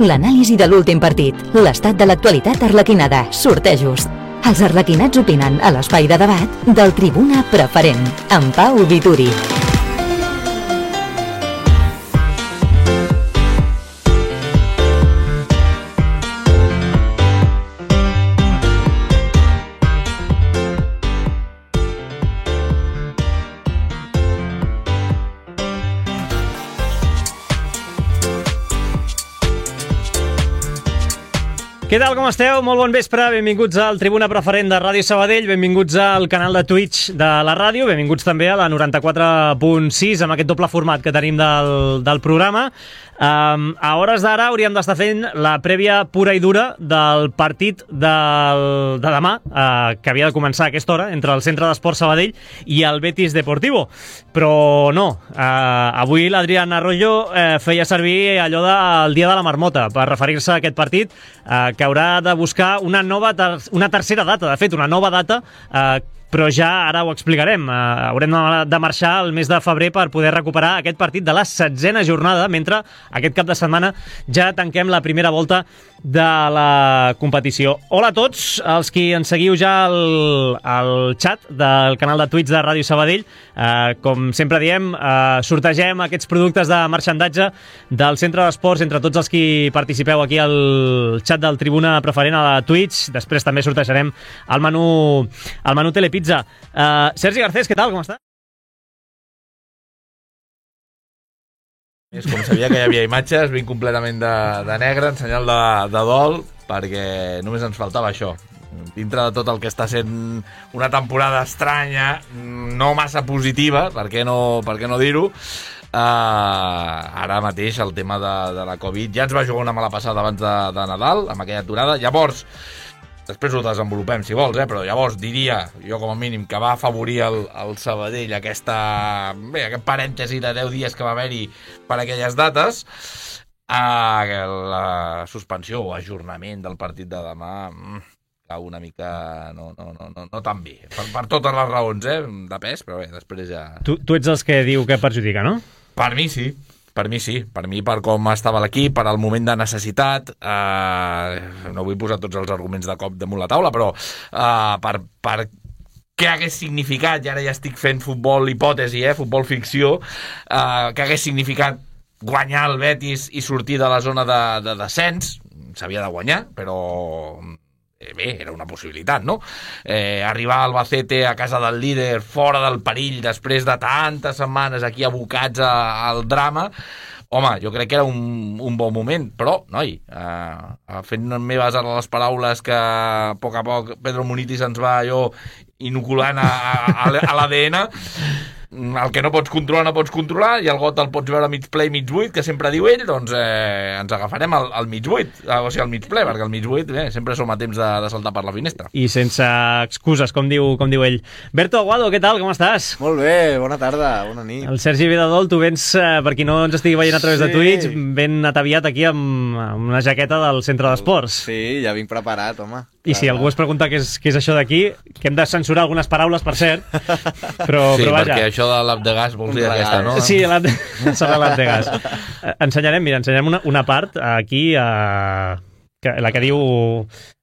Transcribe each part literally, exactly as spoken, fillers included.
L'anàlisi de l'últim partit, l'estat de l'actualitat arlequinada, sortejos. Els arlequinats opinen a l'espai de debat del Tribuna Preferent, amb Pau Vituri. Què tal, com esteu? Molt bon vespre, benvinguts al Tribuna Preferent de Ràdio Sabadell, benvinguts al canal de Twitch de la ràdio, benvinguts també a la noranta-quatre punt sis, amb aquest doble format que tenim del, del programa. Um, a hores d'ara hauríem d'estar fent la prèvia pura i dura del partit del, de demà, uh, que havia de començar a aquesta hora, entre el Centre d'Esports Sabadell i el Betis Deportivo. Però no, uh, avui l'Adrián Arroyo uh, feia servir allò del dia de la marmota per referir-se a aquest partit, uh, que haurà de buscar una nova ter una tercera data, de fet, una nova data, eh, però ja ara ho explicarem. Eh, haurem de marxar el mes de febrer per poder recuperar aquest partit de la setzena jornada, mentre aquest cap de setmana ja tanquem la primera volta de la competició. Hola a tots, els qui ens seguiu ja al, al xat del canal de Twitch de Ràdio Sabadell. Eh, com sempre diem, eh, sortegem aquests productes de marxandatge del Centre d'Esports entre tots els qui participeu aquí al xat del Tribuna Preferent a la Twitch. Després també sortejarem el menú, el menú Telepizza. Eh, Sergi Garcés, què tal? Com està? És com sabia que hi havia imatges, vinc completament de, de negre, en senyal de, de dol, perquè només ens faltava això. Dintre de tot el que està sent una temporada estranya, no massa positiva, per què no, per què no dir-ho, uh, ara mateix el tema de, de la Covid ja ens va jugar una mala passada abans de, de Nadal, amb aquella aturada. Llavors, després ho desenvolupem, si vols, eh? Però llavors diria, jo com a mínim, que va afavorir el, el Sabadell aquesta, bé, aquest parèntesi de deu dies que va haver-hi per aquelles dates. Ah, la suspensió o ajornament del partit de demà cau una mica no, no, no, no, no tan bé. Per, per totes les raons, eh? De pes, però bé, després ja... Tu, tu ets els que diu que perjudica, no? Per mi sí. Per mi sí, per mi, per com estava l'equip, per al moment de necessitat, eh, no vull posar tots els arguments de cop damunt la taula, però eh, per, per què hagués significat, i ara ja estic fent futbol hipòtesi, eh, futbol ficció, eh, què hagués significat guanyar el Betis i sortir de la zona de, de descens, s'havia de guanyar, però... bé, era una possibilitat, no? Eh, arribar a Albacete, a casa del líder, fora del perill, després de tantes setmanes aquí abocats a, al drama, home, jo crec que era un, un bon moment, però, noi, eh, fent meves ara les paraules que a poc a poc Pedro Munitis ens va allò inoculant a, a, a l'A D N, el que no pots controlar no pots controlar, i el got el pots veure mig ple i mig buit, que sempre diu ell, doncs eh, ens agafarem al, al mig buit, o sigui, al mig ple, perquè al mig buit eh, sempre som a temps de, de saltar per la finestra. I sense excuses, com diu, com diu ell. Berto Aguado, què tal? Com estàs? Molt bé, bona tarda, bona nit. El Sergi Vedadol, tu vens, eh, per qui no ens estigui veient a través sí. de Twitch, ben ataviat aquí amb, amb una jaqueta del Centre d'Esports. Sí, ja vinc preparat, home. I si algú es pregunta què és, què és això d'aquí, que hem de censurar algunes paraules, per cert, però, sí, però vaja. perquè això de l'app de gas vols dir aquesta, no? Sí, l'app de, l'app de gas. Ensenyarem, mira, ensenyarem una, una part aquí, a, que, la que diu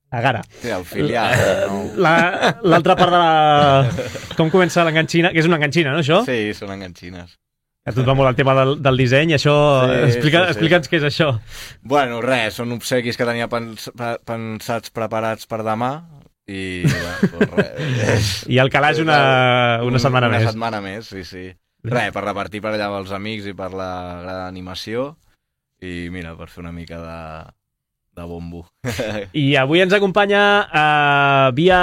Agara. Sí, el filial. L'altra part de la... Com comença l'enganxina, que és una enganxina, no, això? Sí, són enganxines. A tu et va molt el tema del, del disseny, això... Sí, Explica, sí, sí. Explica'ns què és això. Bueno, res, són obsequis que tenia pens, pensats preparats per demà i... Bueno, res. I el calaix una, una setmana una més. Una setmana més, sí, sí. Res, per repartir per allà amb els amics i per la gran animació i, mira, per fer una mica de... de bombo. I avui ens acompanya uh, via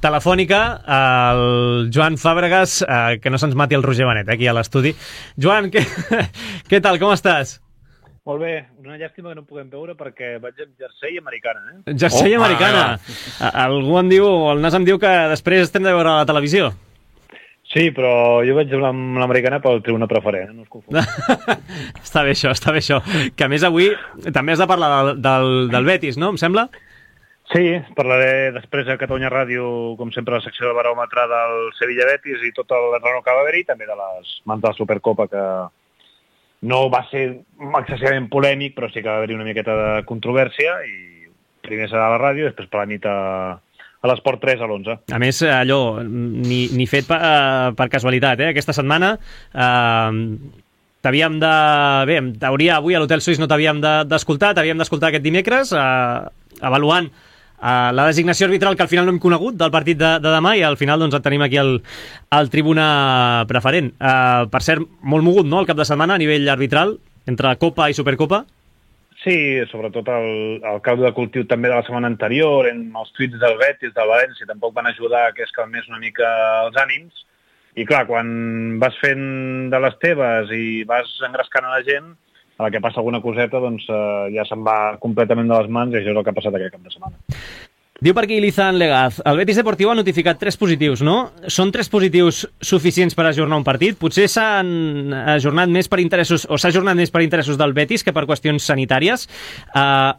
telefònica el Joan Fàbregas, uh, que no se'ns mati el Roger Benet, eh, aquí a l'estudi. Joan, què, què tal, com estàs? Molt bé, una llàstima que no puguem veure perquè vaig amb jersei americana, eh? Jersei oh, americana! Ah, Algú em diu, el Nas em diu que després estem de veure a la televisió. Sí, però jo vaig amb l'americana pel Tribuna Preferent, no us confongui. Està bé això, està bé això. Que a més avui també has de parlar del, del, del Betis, no? Em sembla? Sí, parlaré després a Catalunya Ràdio, com sempre, la secció de baròmetre del Sevilla Betis i tot el renau que va haver-hi, també de les mans de la Supercopa que, no va ser excessivament polèmic, però sí que va haver-hi una miqueta de controvèrsia i primer serà a la ràdio, després per la nit a, a l'Esport tres a l'onze. A més, allò, ni, ni fet per, per casualitat, eh? Aquesta setmana eh, t'havíem de... Bé, en teoria, avui a l'Hotel Suís no t'havíem d'escoltar, t'havíem d'escoltar aquest dimecres, eh, avaluant Uh, la designació arbitral que al final no hem conegut del partit de, de demà i al final doncs, et tenim aquí al, al tribuna preferent. Uh, per cert, molt mogut, no?, el cap de setmana a nivell arbitral, entre Copa i Supercopa. Sí, sobretot el, el caldo de cultiu també de la setmana anterior, en els tuits del Betis, del València, tampoc van ajudar a que es calmés una mica els ànims. I clar, quan vas fent de les teves i vas engrescant a la gent, a la que passa alguna coseta, doncs eh, ja se'n va completament de les mans i això és el que ha passat aquest cap de setmana. Diu per aquí Lizan Legaz, el Betis Deportiu ha notificat tres positius, no? Són tres positius suficients per ajornar un partit? Potser s'han ajornat més per interessos, o s'ha ajornat més per interessos del Betis que per qüestions sanitàries. Uh,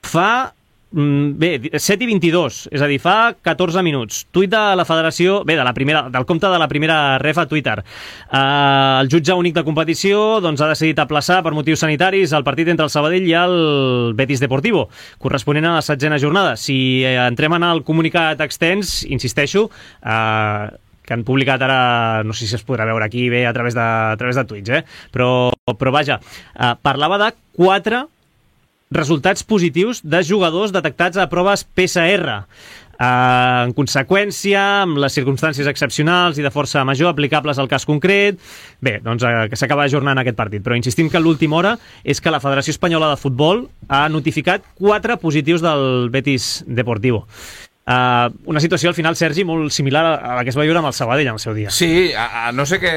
fa... Bé, set i vint-i-dos, és a dir, fa catorze minuts. Tuit de la federació, bé, de la primera, del compte de la primera ref a Twitter. Uh, el jutge únic de competició doncs, ha decidit aplaçar per motius sanitaris el partit entre el Sabadell i el Betis Deportivo, corresponent a la setzena jornada. Si eh, entrem en el comunicat extens, insisteixo, uh, que han publicat ara, no sé si es podrà veure aquí bé a través de, a través de tuits, eh? però, però vaja, uh, parlava de quatre resultats positius de jugadors detectats a proves P C R. Uh, en conseqüència, amb les circumstàncies excepcionals i de força major aplicables al cas concret, bé, doncs uh, que s'acaba ajornant aquest partit. Però insistim que l'última hora és que la Federació Espanyola de Futbol ha notificat quatre positius del Betis Deportivo. Uh, una situació al final, Sergi, molt similar a la que es va viure amb el Sabadell en el seu dia. Sí, a, a no sé que,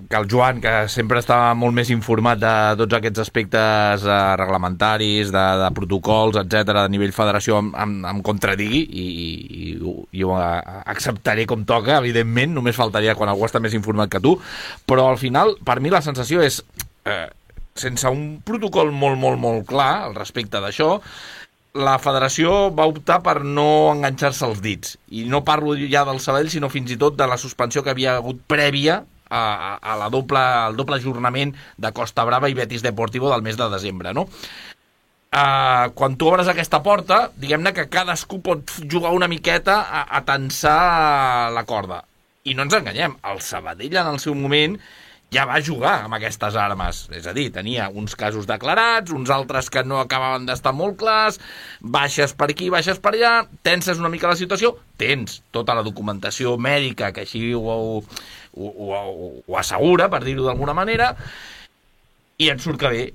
que el Joan, que sempre estava molt més informat de tots aquests aspectes uh, reglamentaris, de, de protocols, etcètera, de nivell federació, em, em, em contradigui i, i, i ho acceptaré com toca, evidentment, només faltaria quan algú està més informat que tu, però al final, per mi la sensació és, eh, sense un protocol molt, molt, molt clar al respecte d'això, la federació va optar per no enganxar-se els dits. I no parlo ja del Sabadell, sinó fins i tot de la suspensió que havia hagut prèvia a, a, a la doble, al doble ajornament de Costa Brava i Betis Deportivo del mes de desembre, no? Uh, quan tu obres aquesta porta, diguem-ne que cadascú pot jugar una miqueta a, a tensar la corda. I no ens enganyem, el Sabadell en el seu moment ja va jugar amb aquestes armes. És a dir, tenia uns casos declarats, uns altres que no acabaven d'estar molt clars, baixes per aquí, baixes per allà, tenses una mica la situació, tens tota la documentació mèdica que així ho, ho, ho, ho, ho assegura, per dir-ho d'alguna manera, i et surt que bé.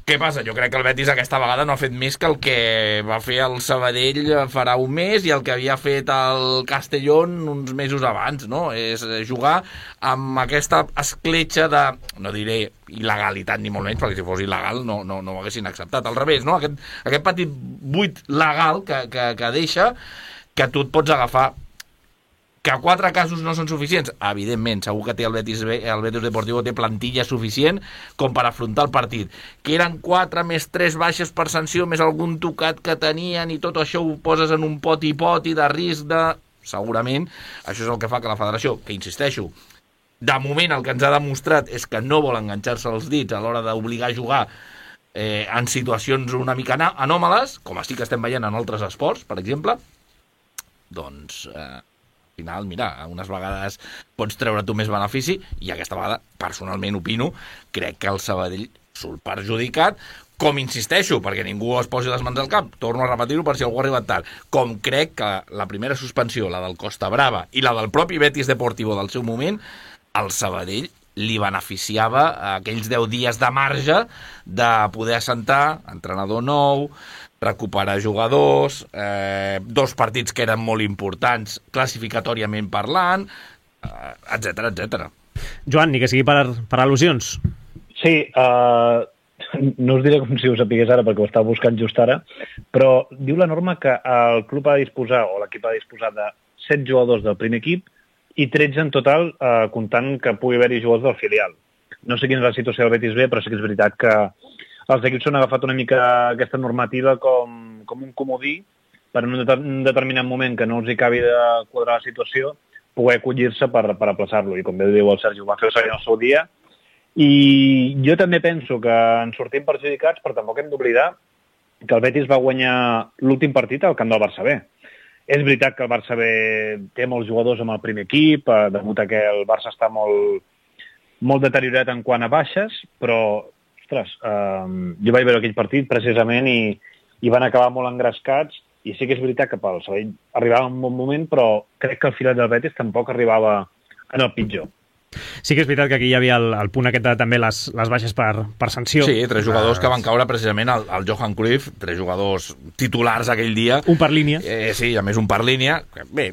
Què passa? Jo crec que el Betis aquesta vegada no ha fet més que el que va fer el Sabadell farà un mes i el que havia fet el Castellón uns mesos abans, no? És jugar amb aquesta escletxa de, no diré il·legalitat ni molt menys, perquè si fos il·legal no, no, no ho haguessin acceptat. Al revés, no? Aquest, aquest petit buit legal que, que, que deixa que tu et pots agafar. Que quatre casos no són suficients? Evidentment, segur que té el Betis, el Betis Deportivo té plantilla suficient com per afrontar el partit. Que eren quatre més tres baixes per sanció, més algun tocat que tenien i tot això ho poses en un poti-poti de risc de... Segurament, això és el que fa que la federació, que insisteixo, de moment el que ens ha demostrat és que no vol enganxar-se els dits a l'hora d'obligar a jugar eh, en situacions una mica anòmales, com sí que estem veient en altres esports, per exemple, doncs... Eh, final, mira, unes vegades pots treure tu més benefici i aquesta vegada, personalment opino, crec que el Sabadell surt perjudicat, com insisteixo, perquè ningú es posi les mans al cap, torno a repetir-ho per si algú ha arribat tard, com crec que la primera suspensió, la del Costa Brava i la del propi Betis Deportivo del seu moment, el Sabadell li beneficiava aquells deu dies de marge de poder assentar entrenador nou, recuperar jugadors, eh, dos partits que eren molt importants classificatòriament parlant, eh, etcètera, etcètera. Joan, ni que sigui per, per al·lusions. Sí, uh, no us diré com si ho sapigués ara perquè ho estava buscant just ara, però diu la norma que el club ha de disposar, o l'equip ha de disposar de set jugadors del primer equip i tretze en total, uh, comptant que pugui haver-hi jugadors del filial. No sé quina és la situació del Betis B, però sí que és veritat que els equips s'han agafat una mica aquesta normativa com, com un comodí per en un determinat moment que no els hi acabi de quadrar la situació, poder acollir-se per, per aplaçar-lo. I com bé diu el Sergi, ho va fer el Sabadell en el seu dia I jo també penso que en sortim perjudicats, però tampoc hem d'oblidar que el Betis va guanyar l'últim partit al camp del Barça B. És veritat que el Barça B té molts jugadors amb el primer equip, eh, degut a que el Barça està molt, molt deteriorat en quant a baixes, però, ostres, eh, jo vaig veure aquell partit precisament i, i van acabar molt engrescats, i sí que és veritat que pel Sabadell arribava en un bon moment, però crec que el filet del Betis tampoc arribava en el pitjor. Sí que és veritat que aquí hi havia el, el punt aquest de també les, les baixes per, per sanció. Sí, tres jugadors que van caure precisament al, al Johan Cruyff, tres jugadors titulars aquell dia. Un per línia. Eh, sí, a més un per línia. Bé,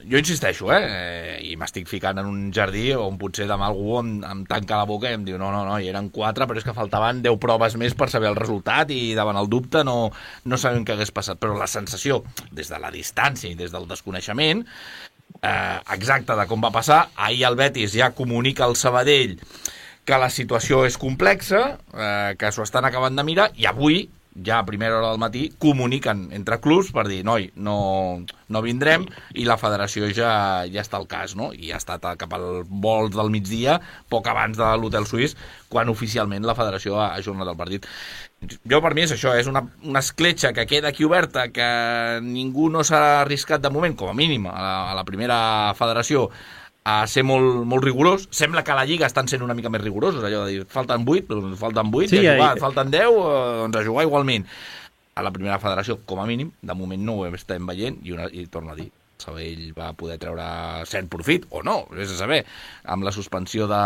jo insisteixo, eh? eh i m'estic ficant en un jardí on potser demà algú em, em tanca la boca i em diu no, no, no, hi eren quatre, però és que faltaven deu proves més per saber el resultat i davant el dubte no, no sabem què hagués passat. Però la sensació, des de la distància i des del desconeixement, Eh, exacte de com va passar, ahir el Betis ja comunica al Sabadell que la situació és complexa, eh, que s'ho estan acabant de mirar, i avui, ja a primera hora del matí, comuniquen entre clubs per dir, noi, no, no vindrem, i la federació ja, ja està al cas, no? I ha estat cap al vol del migdia, poc abans de l'hotel suís, quan oficialment la federació ha ajornat el partit. Jo, per mi, és això, és una, una escletxa que queda aquí oberta, que ningú no s'ha arriscat de moment, com a mínim, a la, a la primera federació, a ser molt, molt rigorós. Sembla que a la Lliga estan sent una mica més rigorosos, allò de dir, falten vuit, doncs falten vuit, sí, ja jugar, falten deu, doncs a jugar igualment. A la primera federació, com a mínim, de moment no ho estem veient, i, una, i torno a dir, Sabadell va poder treure cert profit, o no, és a saber, amb la suspensió de,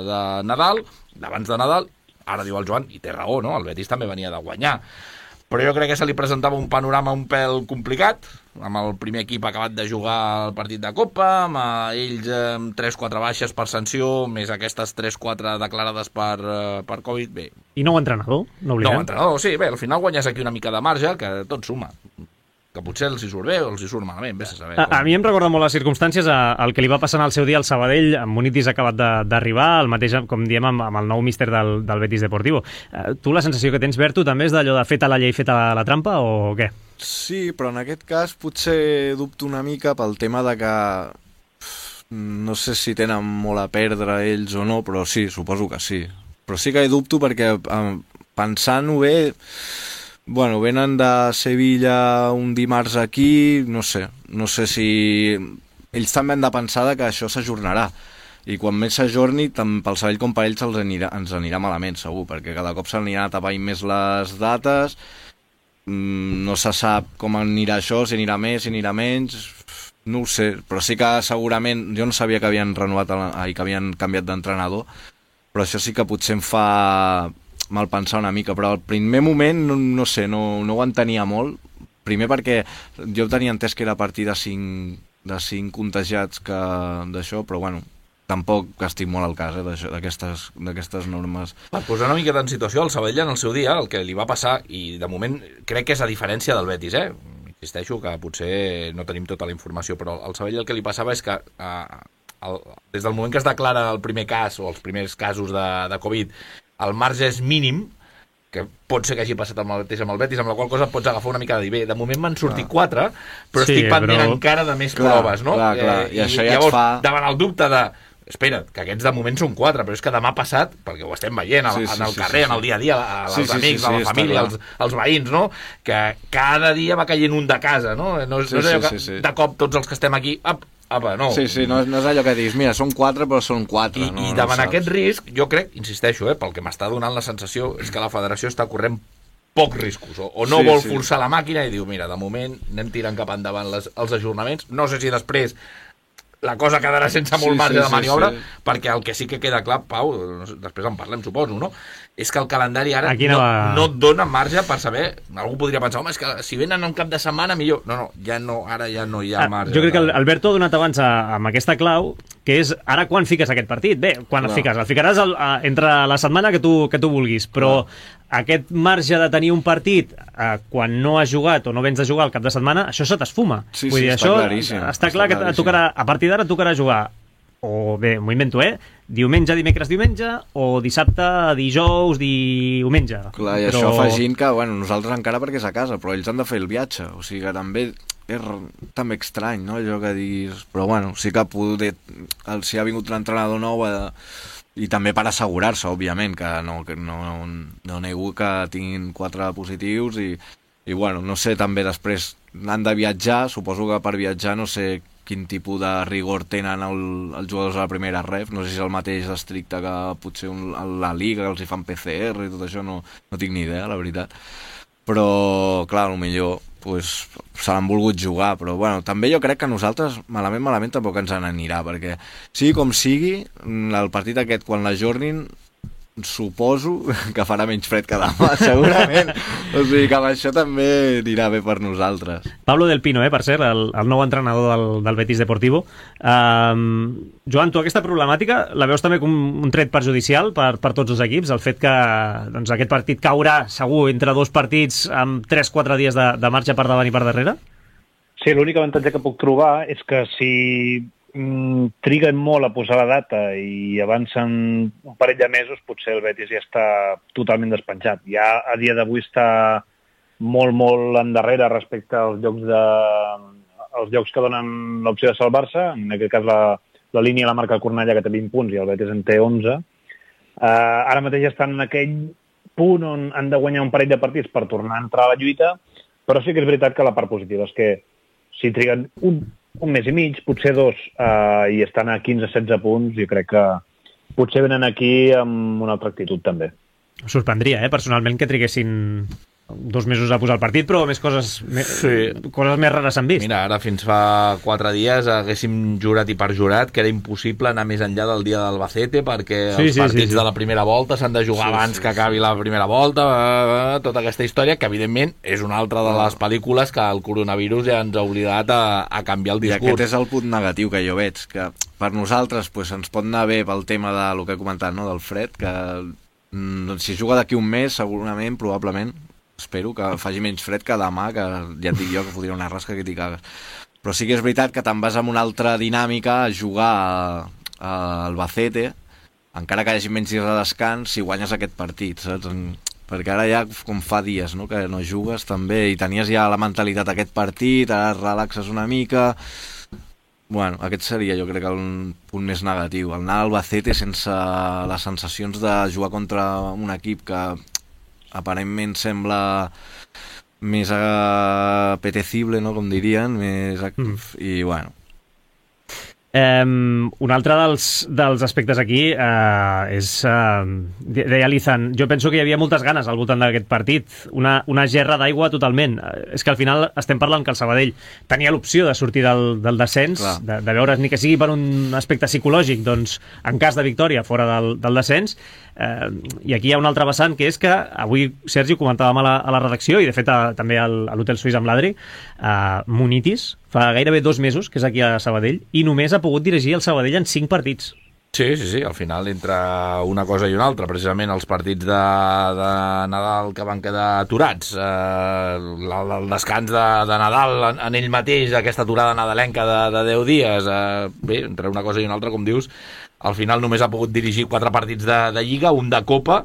de Nadal, d'abans de Nadal. Ara diu el Joan, i té raó, no? El Betis també venia de guanyar. Però jo crec que se li presentava un panorama un pèl complicat, amb el primer equip acabat de jugar el partit de Copa, amb ells amb tres quatre baixes per sanció, més aquestes tres quatre declarades per, per Covid. Bé. I nou entrenador, no oblidem. Nou entrenador, sí, bé, al final guanyes aquí una mica de marge, que tot suma. Que potser els hi surt bé o els hi surt malament, vés a saber. A, a mi em recorda molt les circumstàncies el que li va passar al seu dia al Sabadell, amb Munitis acabat d'arribar, el mateix, com diem, amb, amb el nou míster del, del Betis Deportivo. Uh, tu la sensació que tens, Berto, també és d'allò de feta la llei, feta la, la trampa, o què? Sí, però en aquest cas potser dubto una mica pel tema de que no sé si tenen molt a perdre ells o no, però sí, suposo que sí. Però sí que dubto perquè pensant-ho bé, bueno, venen de Sevilla un dimarts aquí, no sé, no sé si... Ells també han de pensar que això s'ajornarà, i quan més s'ajorni, tant pel Sabadell com per ells els anirà, ens anirà malament, segur, perquè cada cop s'aniran tapant més les dates, no se sap com anirà això, si anirà més, si anirà menys, no ho sé, però sí que segurament, jo no sabia que havien renovat, ai, que havien canviat d'entrenador, però això sí que potser em fa mal pensar una mica, però al primer moment, no, no sé, no, no ho entenia molt, primer perquè jo tenia entès que era a partir de cinc, de cinc contagiats que d'això, però bueno, tampoc estic molt al cas eh, d'aquestes normes. Per posar una mica en situació, el Sabadell en el seu dia, el que li va passar, i de moment crec que és a diferència del Betis, eh? Insisteixo que potser no tenim tota la informació, però al Sabadell el que li passava és que eh, el, des del moment que es declara el primer cas, o els primers casos de, de Covid, el marge és mínim, que pot ser que hagi passat amb el mateix amb el Betis, amb la qual cosa pots agafar una mica de dir, bé, de moment m'han sortit quatre, però sí, estic pendent però... encara de més clar, proves, no? Clar, clar. I, I això ja llavors, fa... davant el dubte de, espera't, que aquests de moment són quatre, però és que demà passat, perquè ho estem veient sí, en el sí, carrer, sí, sí. en el dia a dia, als sí, amics, sí, sí, a la família, als, als veïns, no? Que cada dia va caient un de casa, no? No, sí, no és allò sí, que sí, sí. de cop tots els que estem aquí... Up, Apa, no. Sí, sí, no, no és allò que dius, mira, són quatre, però són quatre. I, no, i davant no aquest risc, jo crec, insisteixo, eh, pel que m'està donant la sensació, és que la federació està corrent pocs riscos, o, o no sí, vol sí. forçar la màquina i diu, mira, de moment anem tirant cap endavant les, els ajornaments, no sé si després la cosa quedarà sense molt sí, marge sí, de maniobra, sí, sí. perquè el que sí que queda clar, Pau, després en parlem, suposo, no? És que el calendari ara no, no et dona marge per saber, algú podria pensar, home, és que si venen un cap de setmana millor. No, no, ja no, ara ja no hi ha marge. Jo crec que Alberto ha donat abans a, amb aquesta clau, que és ara quan fiques aquest partit. Bé, quan no. el fiques? El ficaràs el, a, entre la setmana que tu, que tu vulguis, però no. aquest marge de tenir un partit eh, quan no has jugat o no vens de jugar al cap de setmana, això se t'esfuma. Sí, Vull sí, dir, està això claríssim. Està, està clar que tocarà, a partir d'ara tocarà jugar o bé, m'ho invento, eh? Diumenge, dimecres, diumenge, o dissabte, dijous, diumenge. Clar, i però... això afegint que, bueno, nosaltres encara perquè és a casa, però ells han de fer el viatge, o sigui que també és també estrany, no?, allò que diguis... Però bueno, sí que poder, el, si ha vingut un entrenador nou, eh, i també per assegurar-se, òbviament, que no, que no, no nego que tinguin quatre positius i, i bueno, no sé, també després han de viatjar, suposo que per viatjar no sé quin tipus de rigor tenen el, els jugadors de la primera ref, no sé si és el mateix estricte que potser un, la Liga, que els hi fan P C R i tot això, no, no tinc ni idea, la veritat. Però, clar, potser pues, se l'han volgut jugar, però bueno, també jo crec que nosaltres malament, malament tampoc ens n'anirà, perquè sigui com sigui, el partit aquest quan l'ajornin suposo que farà menys fred que demà, segurament. O sigui que amb això també anirà bé per nosaltres. Pablo Del Pino, eh, per cert, el, el nou entrenador del, del Betis Deportivo. Um, Joan, tu aquesta problemàtica la veus també com un tret perjudicial per, per tots els equips? El fet que doncs, aquest partit caurà segur entre dos partits amb tres quatre dies de, de marxa per davant i per darrere? Sí, l'únic avantatge que puc trobar és que si mm, triguen molt a posar la data i avancen un parell de mesos, potser el Betis ja està totalment despenjat. Ja a dia d'avui està molt, molt endarrere respecte als llocs, de, als llocs que donen l'opció de salvar-se. En aquest cas la, la línia la marca el Cornellà, que té vint punts, i el Betis en té onze. Uh, ara mateix estan en aquell punt on han de guanyar un parell de partits per tornar a entrar a la lluita, però sí que és veritat que la part positiva és que si triguen un, un mes i mig, potser dos, uh, i estan a quinze setze punts, jo crec que potser venen aquí amb una altra actitud també. Em sorprendria, eh, personalment, que triguessin dos mesos a posar el partit, però més coses, més, Sí. coses més rares s'han vist. Mira, ara fins fa quatre dies haguéssim jurat i perjurat que era impossible anar més enllà del dia d'Albacete perquè Sí, els sí, partits sí, sí. de la primera volta s'han de jugar Sí, abans sí, que acabi la primera volta, eh, tota aquesta història, que evidentment és una altra de les pel·lícules que el coronavirus ja ens ha oblidat a, a canviar el I discurs. aquest és el punt negatiu que jo veig, que per nosaltres pues, ens pot anar bé pel tema del que he comentat, no? Del fred, que mm, si juga d'aquí un mes, segurament, probablement, espero que faci menys fred que demà, que ja et dic jo que fotria una rasca que t'hi cagues. Però sí que és veritat que te'n vas amb una altra dinàmica a jugar a, a Albacete, encara que hi hagi menys dies de descans, si guanyes aquest partit, saps? Perquè ara ja com fa dies, no?, que no jugues també, i tenies ja la mentalitat d'aquest partit, ara relaxes una mica. Bueno, aquest seria jo crec que un punt més negatiu, el anar a Albacete sense les sensacions de jugar contra un equip que aparentment sembla més apetecible, no?, com dirien, més actiu, mm. i bueno. Um, un altre dels, dels aspectes aquí uh, és, uh, deia Lizan, jo penso que hi havia moltes ganes al voltant d'aquest partit, una, una gerra d'aigua totalment. Uh, és que al final estem parlant que el Sabadell tenia l'opció de sortir del, del descens, de, de veure's ni que sigui per un aspecte psicològic, doncs en cas de victòria fora del, del descens, uh, i aquí hi ha un altre vessant, que és que avui, Sergi, ho comentàvem a la, a la redacció, i de fet a, també al, a l'Hotel Suís amb l'Adri, uh, Munitis fa gairebé dos mesos que és aquí a Sabadell i només ha pogut dirigir el Sabadell en cinc partits. Sí, sí, sí, al final entre una cosa i una altra, precisament els partits de, de Nadal que van quedar aturats, eh, el descans de, de Nadal en, en ell mateix, aquesta aturada nadalenca de, de deu dies, eh, bé, entre una cosa i una altra, com dius, al final només ha pogut dirigir quatre partits de, de Lliga, un de Copa,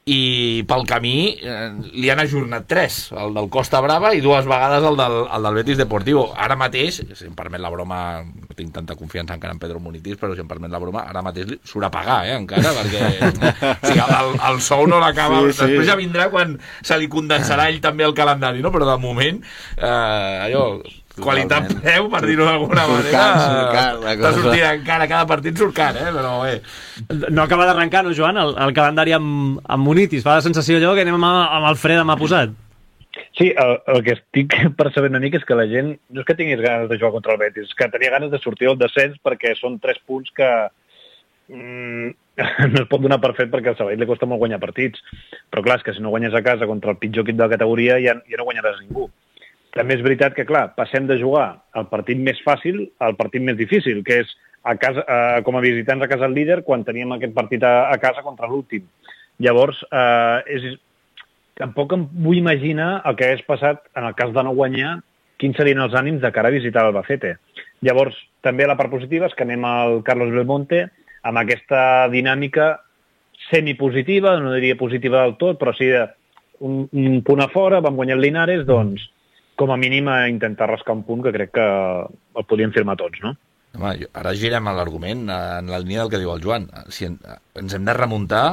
i pel camí eh, li han ajornat tres, el del Costa Brava i dues vegades el del, el del Betis Deportivo. Ara mateix, si em permet la broma, no tinc tanta confiança encara en Pedro Munitis, però si em permet la broma, ara mateix surt a pagar, eh, encara, perquè o sigui, el, el sou no l'acaba, sí, sí. Després ja vindrà quan se li condensarà ell també el calendari, no? Però de moment eh, allò, qualitat preu, per dir-ho d'alguna manera, està sortint encara, cada partit surt car, eh? Però bé. No acaba d'arrencar, no, Joan, el, el calendari amb, amb Munitis? Fa la sensació allò que anem amb, amb el fre demà posat. Sí, el, el que estic percebent una mica és que la gent no és que tinguis ganes de jugar contra el Betis, és que tenia ganes de sortir del descens perquè són tres punts que mm, no es pot donar per fet perquè al Sabadell li costa molt guanyar partits. Però clar, és que si no guanyes a casa contra el pitjor equip de la categoria ja, ja no guanyaràs ningú. També és veritat que, clar, passem de jugar el partit més fàcil al partit més difícil, que és a casa, eh, com a visitants a casa el líder quan teníem aquest partit a, a casa contra l'últim. Llavors, eh, és, tampoc em vull imaginar el que hagués passat en el cas de no guanyar, quins serien els ànims de cara a visitar l'Albacete. Llavors, també la part positiva és que anem al Carlos Belmonte amb aquesta dinàmica semipositiva, no diria positiva del tot, però sí un, un punt a fora, vam guanyar el Linares, doncs com a mínim a intentar rascar un punt que crec que el podíem firmar tots, no? Home, jo, ara girem a l'argument en la línia del que diu el Joan. Si en, ens hem de remuntar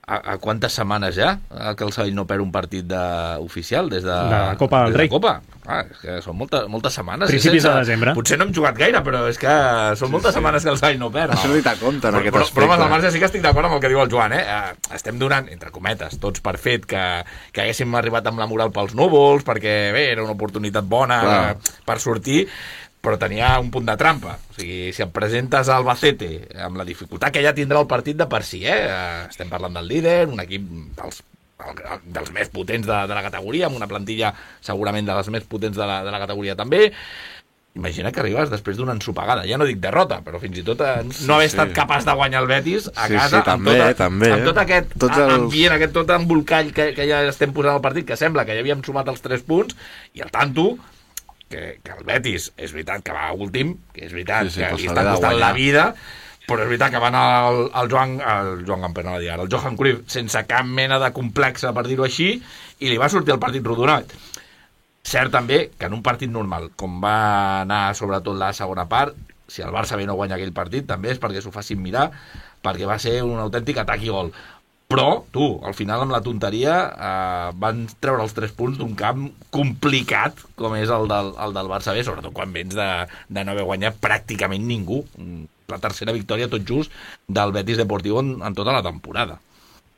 a, a quantes setmanes ja que el Sabadell no perd un partit de, oficial des de, de la Copa del Rei. Rei. Copa. Ah, és que són molta, moltes setmanes. Principis de desembre. Potser no hem jugat gaire, però és que són moltes sí, sí. setmanes que el Sabadell no perd. Això li t'ha compte en però, aquest però, aspecte. Però, home, al marge sí que estic d'acord amb el que diu el Joan. Eh? Estem donant, entre cometes, tots per fet que, que haguéssim arribat amb la moral pels núvols, perquè bé, era una oportunitat bona Clar. per sortir, però tenia un punt de trampa. O sigui, si et presentes al Albacete amb la dificultat que ja tindrà el partit de per si, eh? Estem parlant del líder, un equip dels, dels més potents de, de la categoria, amb una plantilla segurament de les més potents de la, de la categoria també. Imagina que arribes després d'una ensopegada. Ja no dic derrota, però fins i tot no haver sí, estat sí. capaç de guanyar el Betis a sí, casa sí, també, amb, tota, també, amb tot aquest Tots els... ambient, aquest tot embolcall que, que ja estem posant al partit, que sembla que ja havíem sumat els tres punts, i el tanto que, que el Betis, és veritat que va últim, que és veritat sí, sí, que li està costant la vida, però és veritat que van al, al Joan, el Joan Gamper, no dir, el Johan Cruyff, sense cap mena de complexa, per dir-ho així, i li va sortir el partit rodonat. Cert també que en un partit normal, com va anar sobretot la segona part, si el Barça bé no guanya aquell partit, també és perquè s'ho facin mirar, perquè va ser un autèntic atac i gol. Però, tu, al final amb la tonteria eh, van treure els tres punts d'un camp complicat com és el del, el del Barça B, sobretot quan vens de, de no haver guanyat pràcticament ningú. La tercera victòria tot just del Betis Deportivo en, en tota la temporada.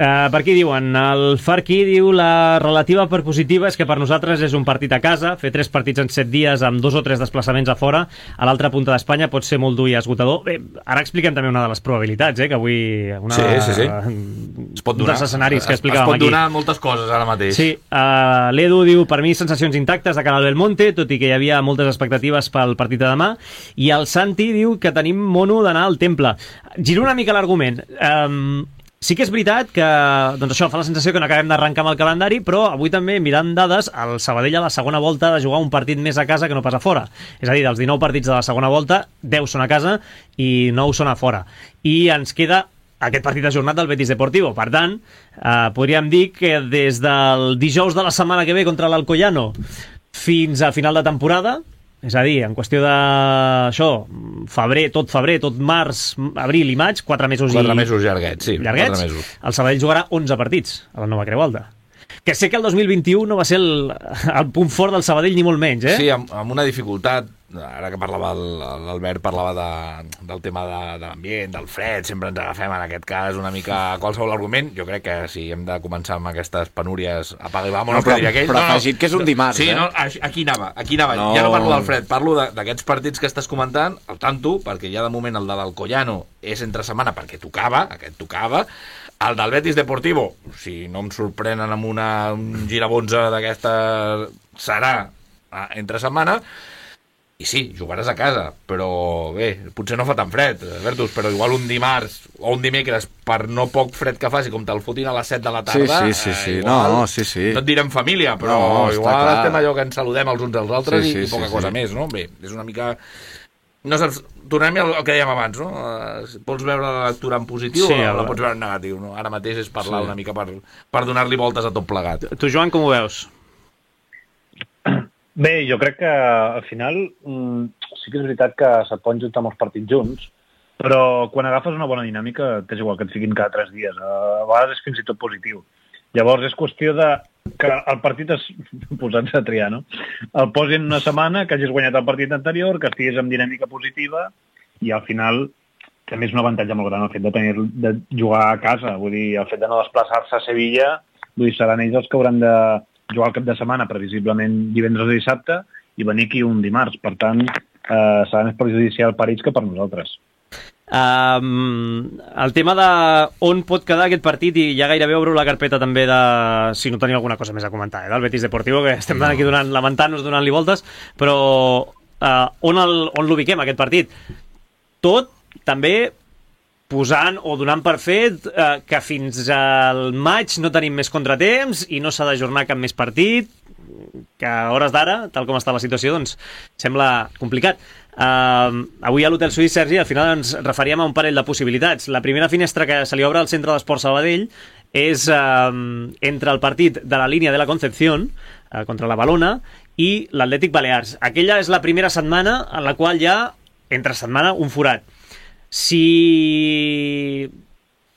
Uh, per aquí diuen, el Farqui diu la relativa per positiva és que per nosaltres és un partit a casa, fer tres partits en set dies amb dos o tres desplaçaments a fora a l'altra punta d'Espanya pot ser molt dur i esgotador. Bé, ara expliquem també una de les probabilitats, eh, que avui una sí, sí, sí. Es pot donar, dels escenaris que explicàvem aquí. Es pot donar aquí. Moltes coses ara mateix. Sí, uh, l'Edu diu, per mi sensacions intactes de cara al Belmonte, tot i que hi havia moltes expectatives pel partit de demà, i el Santi diu que tenim mono d'anar al Temple. Giro una mica l'argument. Um, Sí que és veritat que doncs això fa la sensació que no acabem d'arrencar amb el calendari, però avui també, mirant dades, el Sabadell a la segona volta ha de jugar un partit més a casa que no pas a fora. És a dir, dels dinou partits de la segona volta, deu són a casa i nou són a fora. I ens queda aquest partit ajornat del Betis Deportivo. Per tant, eh, podríem dir que des del dijous de la setmana que ve contra l'Alcoyano fins a final de temporada, és a dir, en qüestió de això, febrer, tot febrer, tot març, abril i maig, quatre mesos quatre i... mesos llarguets, sí. Llarguets, mesos. El Sabadell jugarà onze partits a la nova Creu Alta. Que sé que el dos mil vint-i-u no va ser el, el punt fort del Sabadell ni molt menys, eh? Sí, amb, amb una dificultat, ara que parlava l'Albert, parlava de, del tema de, de l'ambient, del fred, sempre ens agafem en aquest cas una mica a qualsevol argument. Jo crec que si hem de començar amb aquestes penúries, apaga i vámonos, no, però, que diria aquell. Però no, no, afegit que és un dimarts, sí, eh? No, aquí anava, aquí anava. No. Ja no parlo del fred, parlo d'aquests partits que estàs comentant, al tanto, perquè ja de moment el de l'Alcoyano és entre setmana perquè tocava, aquest tocava. El del Betis Deportivo, si no em sorprenen amb una, un girabonza d'aquesta, serà entre setmana. I sí, jugaràs a casa, però bé, potser no fa tan fred, Bertus, però igual un dimarts o un dimecres, per no poc fred que faci, com te'l fotin a les set de la tarda... Sí, sí, sí, sí. Eh, igual, no, sí, sí. No et direm família, però no, igual clar. Estem allò que ens saludem els uns als altres sí, sí, i, i poca sí, cosa sí. més, no? Bé, és una mica... No saps, tornem al que dèiem abans, no? Pots veure la lectura en positiu sí, o la pots veure en negatiu, no? Ara mateix és parlar sí. una mica per, per donar-li voltes a tot plegat. Tu, Joan, com ho veus? Bé, jo crec que al final mmm, sí que és veritat que se't poden juntar molts partits junts, però quan agafes una bona dinàmica t'és igual que et fiquin cada tres dies. A vegades és fins i tot positiu. Llavors és qüestió de que el partit es posant-se a triar, no? El posin una setmana, que hagis guanyat el partit anterior, que estiguis amb dinàmica positiva i al final també és un avantatge molt gran el fet de, tenir, de jugar a casa. Vull dir, el fet de no desplaçar-se a Sevilla, vull dir, seran ells els que hauran de jugar el cap de setmana, previsiblement divendres o dissabte, i venir aquí un dimarts. Per tant, eh, serà més perjudicial per ells que per nosaltres. Um, el tema de on pot quedar aquest partit, i ja gairebé obro la carpeta també de si no teniu alguna cosa més a comentar, eh, del Betis Deportivo, que estem no. aquí donant, lamentant-nos, donant-li voltes, però uh, on el, on l'ubiquem aquest partit? Tot també posant o donant per fet eh, que fins al maig no tenim més contratemps i no s'ha d'ajornar cap més partit, que a hores d'ara, tal com està la situació, doncs sembla complicat. Uh, avui a l'Hotel Suís, Sergi, al final ens referíem a un parell de possibilitats. La primera finestra que se li obre al Centre d'Esport Sabadell és uh, entre el partit de la línia de la Concepción uh, contra la Balona i l'Atlètic Balears. Aquella és la primera setmana en la qual ja entre setmana, un forat. Si...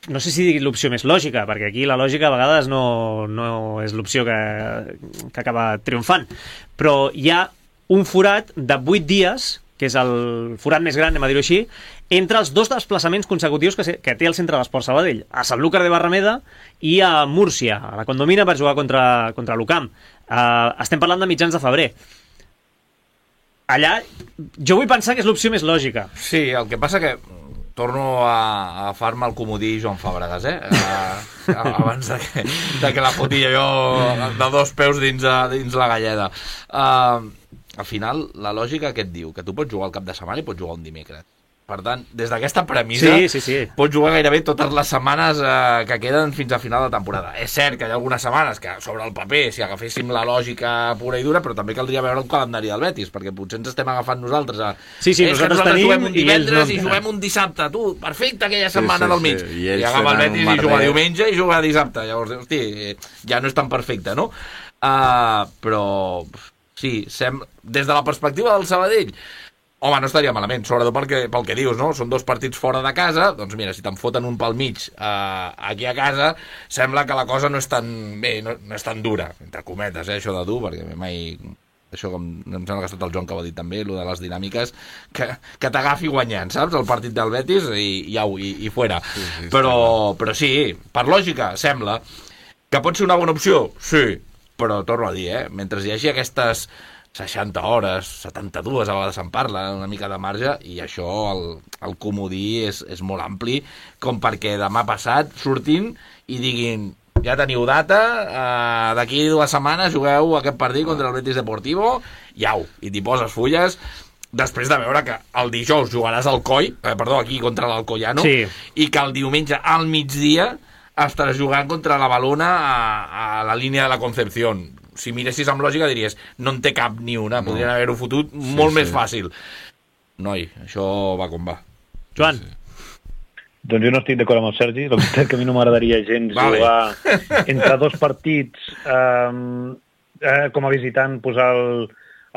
No sé si dir l'opció més lògica, perquè aquí la lògica a vegades no, no és l'opció que, que acaba triomfant, però hi ha un forat de vuit dies, que és el forat més gran, anem a dir-ho així, entre els dos desplaçaments consecutius que, se, que té el Centre d'Esports Sabadell, a Sanlúcar de Barrameda i a Múrcia, a la Condomina, per jugar contra, contra l'Ucamp. Uh, estem parlant de mitjans de febrer. Allà, jo vull pensar que és l'opció més lògica. Sí, el que passa que torno a, a far-me el comodí Joan Fàbregas, eh? Uh, abans de que, de que la fotia jo de dos peus dins, a, dins la galleda. Uh, al final, la lògica que et diu? Que tu pots jugar al cap de setmana i pots jugar un dimecres. Per tant, des d'aquesta premissa, sí, sí, sí. pots jugar gairebé totes les setmanes eh, que queden fins a final de temporada. És cert que hi ha algunes setmanes que sobre el paper, si agaféssim la lògica pura i dura, però també caldria veure el calendari del Betis, perquè potser ens estem agafant nosaltres a... Sí, sí, és nosaltres, nosaltres tenim juguem un divendres i, no... i juguem un dissabte. Tu, perfecte, aquella setmana sí, sí, del mig. Sí. I, I agafa el Betis i juga diumenge i juga dissabte. Llavors, hosti, ja no és tan perfecte, no? Uh, però, sí, sem... des de la perspectiva del Sabadell, home, no estaria malament, sobretot pel que, pel que dius, no? Són dos partits fora de casa, doncs mira, si te'n foten un pel mig eh, aquí a casa, sembla que la cosa no és tan bé, no, no és tan dura, entre cometes, eh, això de dur, perquè mai... Això com, em sembla que ha estat el Joan que ho ha dit també, allò de les dinàmiques, que, que t'agafi guanyant, saps? El partit del Betis i, i au, i, i fuera. Sí, sí, però, però sí, per lògica, sembla que pot ser una bona opció, sí, però torno a dir, eh, mentre hi hagi aquestes seixanta hores, setanta-dues a vegades se'n parla, una mica de marge, i això, el, el comodí és, és molt ampli, com perquè demà passat surtin i diguin, ja teniu data, eh, d'aquí dues setmanes jugueu aquest partit contra el Betis Deportivo, i au, i t'hi poses fulles, després de veure que el dijous jugaràs al Coi, eh, perdó, aquí contra l'Alcoyano, sí. I que el diumenge al migdia estaràs jugant contra la Balona a, a la línia de la Concepción. Si miressis amb lògica diries, no en té cap ni una, no. Podrien haver-ho fotut sí, molt sí. més fàcil. Noi, això va com va. Joan. Sí. Doncs jo no estic d'acord amb el Sergi, la veritat que a mi no m'agradaria gens vale. jugar entre dos partits, eh, eh, com a visitant, posar el,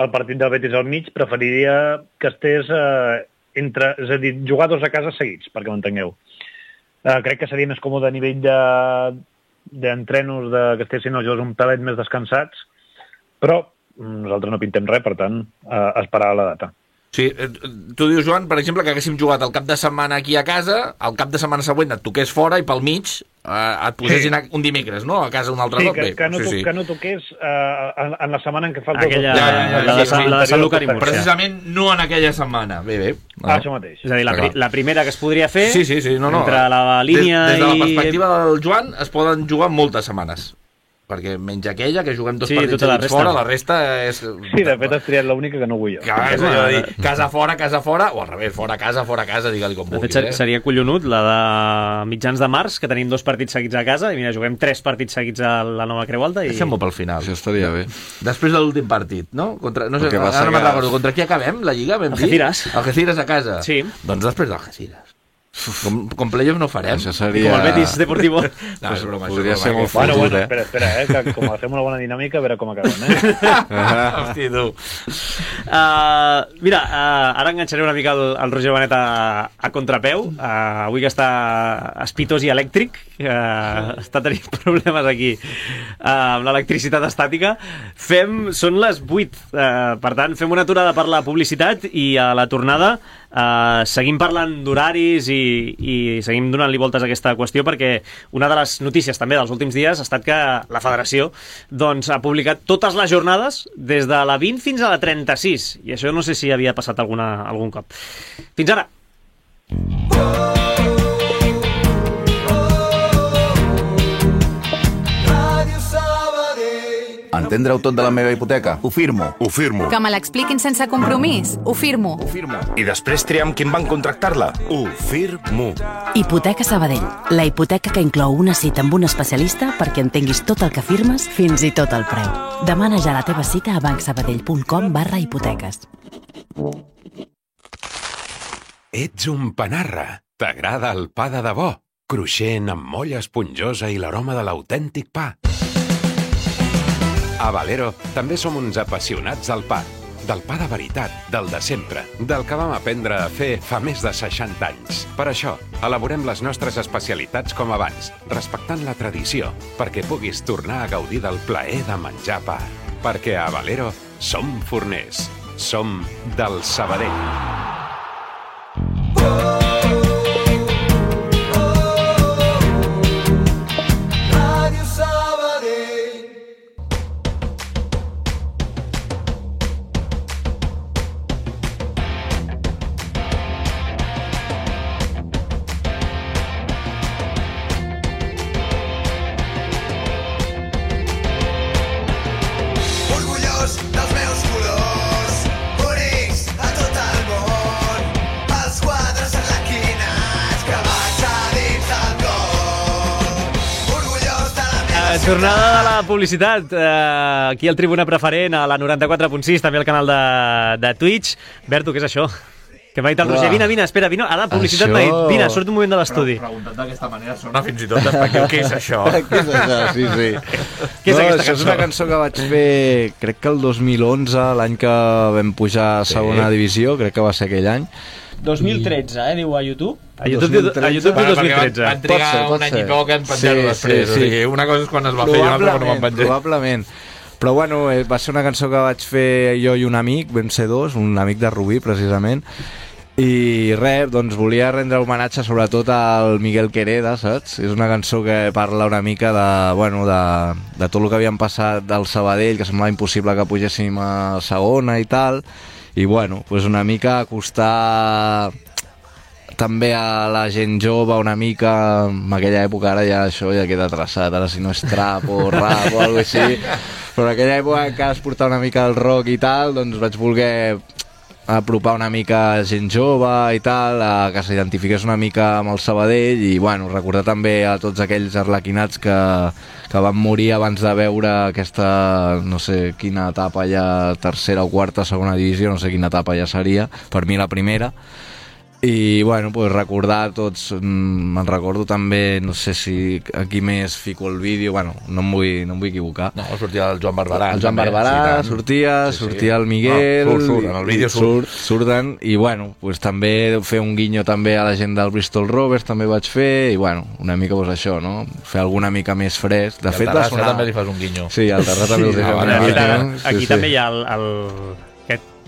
el partit del Betis al mig, preferiria que estés eh, entre, és a dir, jugar dos a casa seguits, perquè m'entengueu. Eh, crec que seria més còmode a nivell de d'entrenos de, que estessin els jugadors un pelet més descansats, però nosaltres no pintem res, per tant, eh, esperar la data. Sí, tu dius, Joan, per exemple, que haguéssim jugat el cap de setmana aquí a casa, el cap de setmana següent et toqués fora i pel mig eh, et posessin sí. un dimecres, no? A casa un altre sí, cop. Que, que, no sí, sí. que no toqués uh, en, en la setmana en què falta... Aquella, dos, ja, ja, ja, la, de, sí, la de Sanlúcar i Múrcia. Precisament no en aquella setmana. Bé, bé. No. Ah, això mateix. És a dir, la, pri la primera que es podria fer sí, sí, sí, no, no. entre la línia des, des de la i... perspectiva del Joan es poden jugar moltes setmanes. Perquè menys aquella, que juguem dos sí, partits la fora, la resta és... Sí, de fet has triat l'única que no vull jo. Que és allò de dir, casa fora, casa fora, o al revés, fora casa, fora casa, digue-li com vulguis. De fet, seria collonut la de mitjans de març, que tenim dos partits seguits a casa, i mira, juguem tres partits seguits a la Nova Creu Alta i... Deixem-ho pel final. Això estaria bé. Després de l'últim partit, no? Contra, no sé, ara no me'n recordo. Contra qui acabem, la Lliga? Algeciras. Algeciras a casa. Sí. Doncs després d'Algeciras. Com, com playoff no farem. Això seria... Com el Betis Deportivo. No, és broma, podria és ser broma. molt fotut, bueno, bueno, eh? espera, espera, eh? Que com fem una bona dinàmica, a veure com acabem, eh? Hosti, tu. Uh, mira, uh, ara enganxaré una mica el, el Roger Benet a, a contrapeu. Uh, avui que està espitós i elèctric, uh, està tenint problemes aquí uh, amb l'electricitat estàtica. Fem, són les vuit, uh, per tant, fem una aturada per la publicitat i a la tornada Uh, seguim parlant d'horaris i, i seguim donant-li voltes a aquesta qüestió, perquè una de les notícies també dels últims dies ha estat que la federació doncs, ha publicat totes les jornades des de la vint fins a la trenta-sis, i això no sé si havia passat alguna, algun cop. Fins ara! Entendre-ho tot de la meva hipoteca? Ho firmo. Ho firmo. Que me l'expliquin sense compromís? Ho firmo. Ho firmo. I després triar amb qui van contractar-la? Ho firmo. Hipoteca Sabadell. La hipoteca que inclou una cita amb un especialista perquè entenguis tot el que firmes, fins i tot el preu. Demana ja la teva cita a bancsabadell.com barra hipoteques. Ets un panarra. T'agrada el pa de debò? Cruixent, amb molla esponjosa i l'aroma de l'autèntic pa. A Valero també som uns apassionats del pa. del pa de veritat, del de sempre, del que vam aprendre a fer fa més de seixanta anys. Per això, elaborem les nostres especialitats com abans, respectant la tradició, perquè puguis tornar a gaudir del plaer de menjar pa. Perquè a Valero som forners. Som del Sabadell. Tornada de la publicitat, eh, aquí al Tribuna Preferent, a la noranta-quatre punt sis, també al canal de, de Twitch. Berto, què és això? Que m'ha dit el Roger, vine, vine, espera, vine. Ara, publicitat m'ha dit, vine, surt un moment de l'estudi. Però preguntat d'aquesta manera sona fins i tot despectiu. Què és això? Què és això? Sí, sí. Què és no, aquesta cançó? És una cançó que vaig fer, crec que el dos mil onze, l'any que vam pujar a segona sí. divisió, crec que va ser aquell any. dos mil tretze, eh, diu a YouTube. A YouTube, a YouTube diu dos mil tretze. Van, van trigar ser, un any i poc en penjar-ho sí, després. Sí, sí. O sigui, una cosa és quan es va fer i una altra quan no van penjar. Probablement. Però bueno, va ser una cançó que vaig fer jo i un amic, vam ser dos, un amic de Rubí, precisament, i res, doncs volia rendre homenatge sobretot al Miguel Quereda, saps? És una cançó que parla una mica de, bueno, de, de tot el que havíem passat del Sabadell, que semblava impossible que pugéssim a segona i tal, i bueno, pues una mica acostar també a la gent jove una mica, en aquella època ara ja això ja queda traçat, ara si no és trap o rap o alguna cosa així, però en aquella època que es portava una mica el rock i tal, doncs vaig voler apropar una mica gent jove i tal, a que s'identifiqués una mica amb el Sabadell i bueno, recordar també a tots aquells arlequinats que, que van morir abans de veure aquesta, no sé quina etapa ja, tercera o quarta, segona divisió, no sé quina etapa ja seria, per mi la primera. I bueno, pues recordar tots, me'n recordo també, no sé si aquí més fico el vídeo, bueno, no em vull, no em vull equivocar. No, sortia el Joan Barberà. El Joan també, Barberà sí, sortia, sí, sortia sí. el Miguel, no, surt, surt, en el vídeo surt. surt. Surten, i bueno, pues també fer un guinyo també a la gent del Bristol Rovers, també vaig fer, i bueno, una mica pues això, no? Fer alguna mica més fresc. De I fet, al Terrassa sonar... també li fas un guinyo. Sí, al Terrassa també sí, li fas un guinyo. Aquí sí, també sí. hi ha el... el...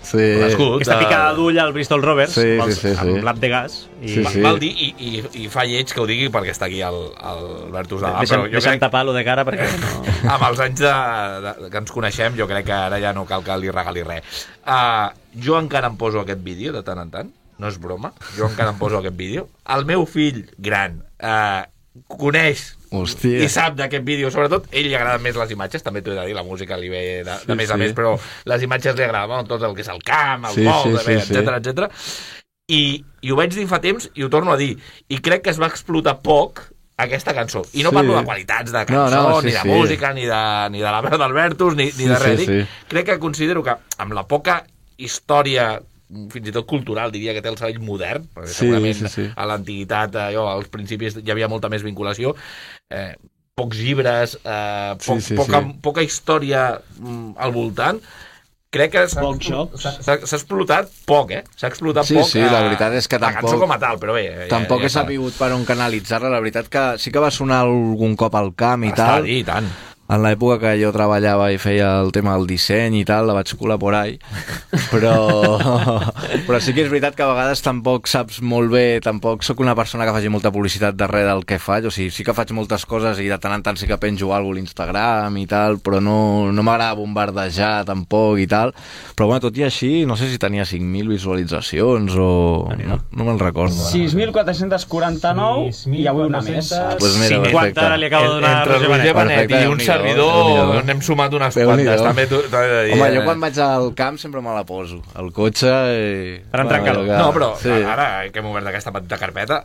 Sí. Aquesta picada d'ull al Bristol Rovers sí, sí, sí, amb sí. l'app de gas i... sí, sí. Val dir, i, i, i fa lleig que ho digui perquè està aquí el, el Bertus Davant. Deixa'm, deixa'm crec... tapar lo de cara perquè no... Amb els anys de, de, que ens coneixem jo crec que ara ja no cal que li regali res. uh, Jo encara em poso aquest vídeo de tant en tant, no és broma, jo encara em poso aquest vídeo. El meu fill gran uh, coneix Hòstia. i sap d'aquest vídeo, sobretot ell li agraden més les imatges, també t'ho he de dir, la música li ve de, sí, de més a sí. més, però les imatges li agraden, bueno, tot el que és el camp, el sí, vol, sí, sí, etcètera, sí. etcètera. I, I ho vaig dir fa temps i ho torno a dir, i crec que es va explotar poc aquesta cançó, i no sí. parlo de qualitats de cançó, no, no, sí, ni de sí. música, ni de, ni de la veu d'Albertus, ni, ni sí, de res, sí, sí. crec que considero que amb la poca història fins i tot cultural, diria que té el Sabadell modern, perquè sí, segurament sí, sí. a l'antiguitat, allò, als principis hi havia molta més vinculació, eh, pocs llibres, eh, poc, sí, sí, poca, sí. poca història mm, al voltant. Crec que s'ha explotat poc, eh? S'ha explotat sí, poc. Sí, la veritat és que la tampoc... La cançó com a tal, però bé... Tampoc ja, ja he sabut per on canalitzar-la, la veritat que sí que va sonar algun cop al camp i Està tal. Està dit, tant. En l'època que jo treballava i feia el tema del disseny i tal, la vaig colar por ahí, però, però sí que és veritat que a vegades tampoc saps molt bé, tampoc sóc una persona que faci molta publicitat darrere del que faig, o sigui, sí que faig moltes coses i de tant en tant sí que penjo alguna cosa a l'Instagram i tal, però no, no m'agrada bombardejar tampoc i tal, però bueno, tot i així, no sé si tenia cinc mil visualitzacions o... no, no me'n recordo. sis mil quatre-cents quaranta-nou i avui una més. Pues mira, cinquanta ara li acabo de donar a Roger Benet i un servidor n'hem sumat unes quantes. També t'ho he de dir. Home, jo quan vaig al camp sempre me la poso. Al cotxe i... Per entrar-lo. No, però sí. ara que hem obert aquesta petita carpeta,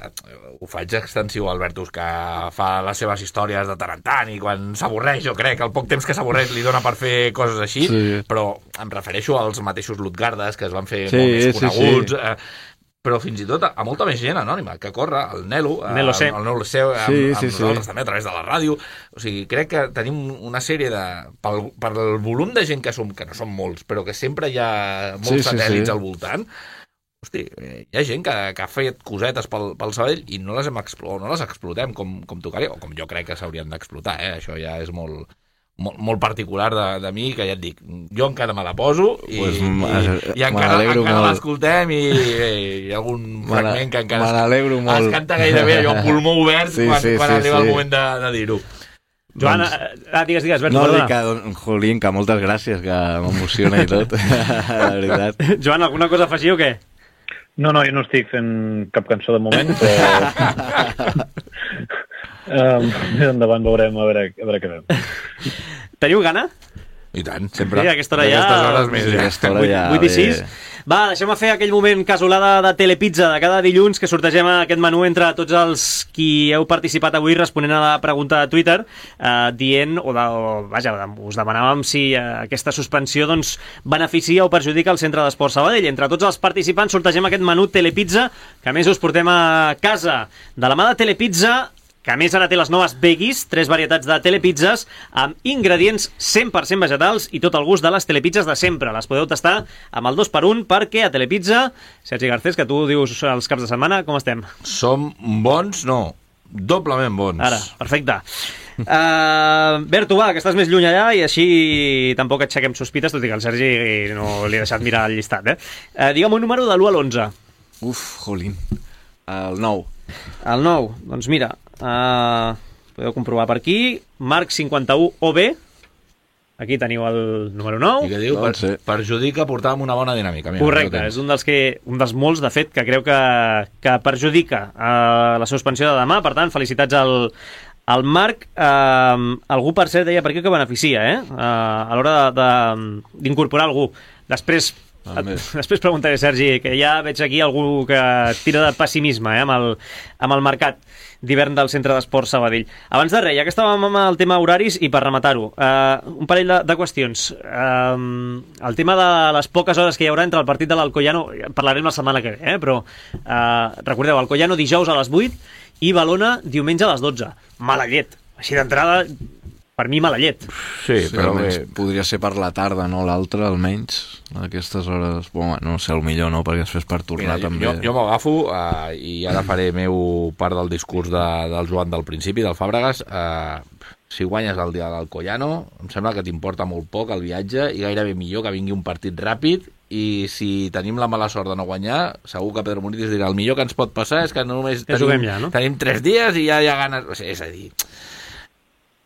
ho faig extensiu al Albertus, que fa les seves històries de tant en tant i quan s'avorreix, jo crec, el poc temps que s'avorreix li dona per fer coses així, sí. però em refereixo als mateixos Lutgardes, que es van fer sí, molt més coneguts. Sí, sí. però fins i tot a, a molta més gent anònima que corre, el Nelo, Nelo C. el, el Nelo C, amb, Sí, amb sí, nosaltres sí. també a través de la ràdio. O sigui, crec que tenim una sèrie de... Pel, per el volum de gent que som, que no som molts, però que sempre hi ha molts Sí, sí, satèl·lits sí. al voltant, hosti, hi ha gent que, que ha fet cosetes pel, pel Sabadell i no les, hem explo, no les explotem com, com tocaria, o com jo crec que s'haurien d'explotar, eh? Això ja és molt... Molt, molt particular de, de mi, que ja et dic, jo encara me la poso i, Pues, i, i encara, encara l'escoltem i, i hi ha algun fragment que encara me n'alegro es, molt. es canta gairebé allò amb pulmó obert Sí, quan, sí, quan sí, arriba sí. el moment de, de dir-ho. Joan, ah, digues, digues, Berto, No, perdona. dic que, don- Jolín, que moltes gràcies, que m'emociona i tot, la veritat. Joan, alguna cosa a afegir o què? No, no, jo no estic fent cap cançó de moment, però... um, més endavant veurem a veure, a veure què fem. Teniu gana? I tant, sempre. Sí, a aquesta hora ja... Aquestes hores més, Sí, ja. aquesta hora ja... vuit i sis. bé. Va, deixem-me fer aquell moment casolada de Telepizza de cada dilluns que sortegem aquest menú entre tots els qui heu participat avui responent a la pregunta de Twitter, eh, dient, o, de, o vaja, us demanàvem si eh, aquesta suspensió doncs, beneficia o perjudica el Centre d'Esport Sabadell. Entre tots els participants sortegem aquest menú Telepizza, que a més us portem a casa. De la mà de Telepizza, que a més ara té les noves veggies, tres varietats de telepizzas amb ingredients cent per cent vegetals i tot el gust de les telepizzas de sempre. Les podeu tastar amb el dos per un perquè a Telepizza, Sergi Garcés, que tu dius els caps de setmana, com estem? Som bons, no, doblement bons. Ara, perfecte. Uh, Berto, va, que estàs més lluny allà i així tampoc aixequem sospites, tot i que el Sergi no li ha deixat mirar el llistat. Eh? Uh, digue'm un número de l'u a l'onze. Uf, Jolín. El nou. El nou, doncs mira, uh, podeu comprovar per aquí, Marc cinquanta-u O B, aquí teniu el número nou. I que diu, per, Doncs sí. perjudica portar amb una bona dinàmica. Mira, Correcte, és un dels, que, un dels molts, de fet, que creu que, que perjudica uh, la suspensió de demà. Per tant, felicitats al, al Marc. Uh, algú, per cert, deia per què que beneficia, eh? Uh, a l'hora d'incorporar algú. Després, et, després preguntaré, Sergi, que ja veig aquí algú que tira de pessimisme eh, amb, el, amb el mercat d'hivern del Centre d'Esport Sabadell. Abans de res, ja que estàvem amb el tema horaris i per rematar-ho, uh, un parell de, de qüestions. Uh, el tema de les poques hores que hi haurà entre el partit de l'Alcoyano, parlarem la setmana que ve, eh, però uh, recordeu, Alcoyano dijous a les vuit i Valona diumenge a les dotze. Mala llet. Així d'entrada, per mi mala llet. Sí, Sí, però almenys bé, podria ser per la tarda, no l'altre, almenys. A aquestes hores, bueno, no sé, el millor no, perquè després per tornar mira, jo, també... jo, jo m'agafo uh, i ara faré meu part del discurs de, del Joan del principi, del Fàbregas. Uh, si guanyes el dia de l'Alcoyano, em sembla que t'importa molt poc el viatge i gairebé millor que vingui un partit ràpid, i si tenim la mala sort de no guanyar, segur que Pedro Muniz dirà el millor que ens pot passar és que només Ja tenim, juguem ja, no? tenim tres dies i ja hi ha ganes... O sigui, és a dir...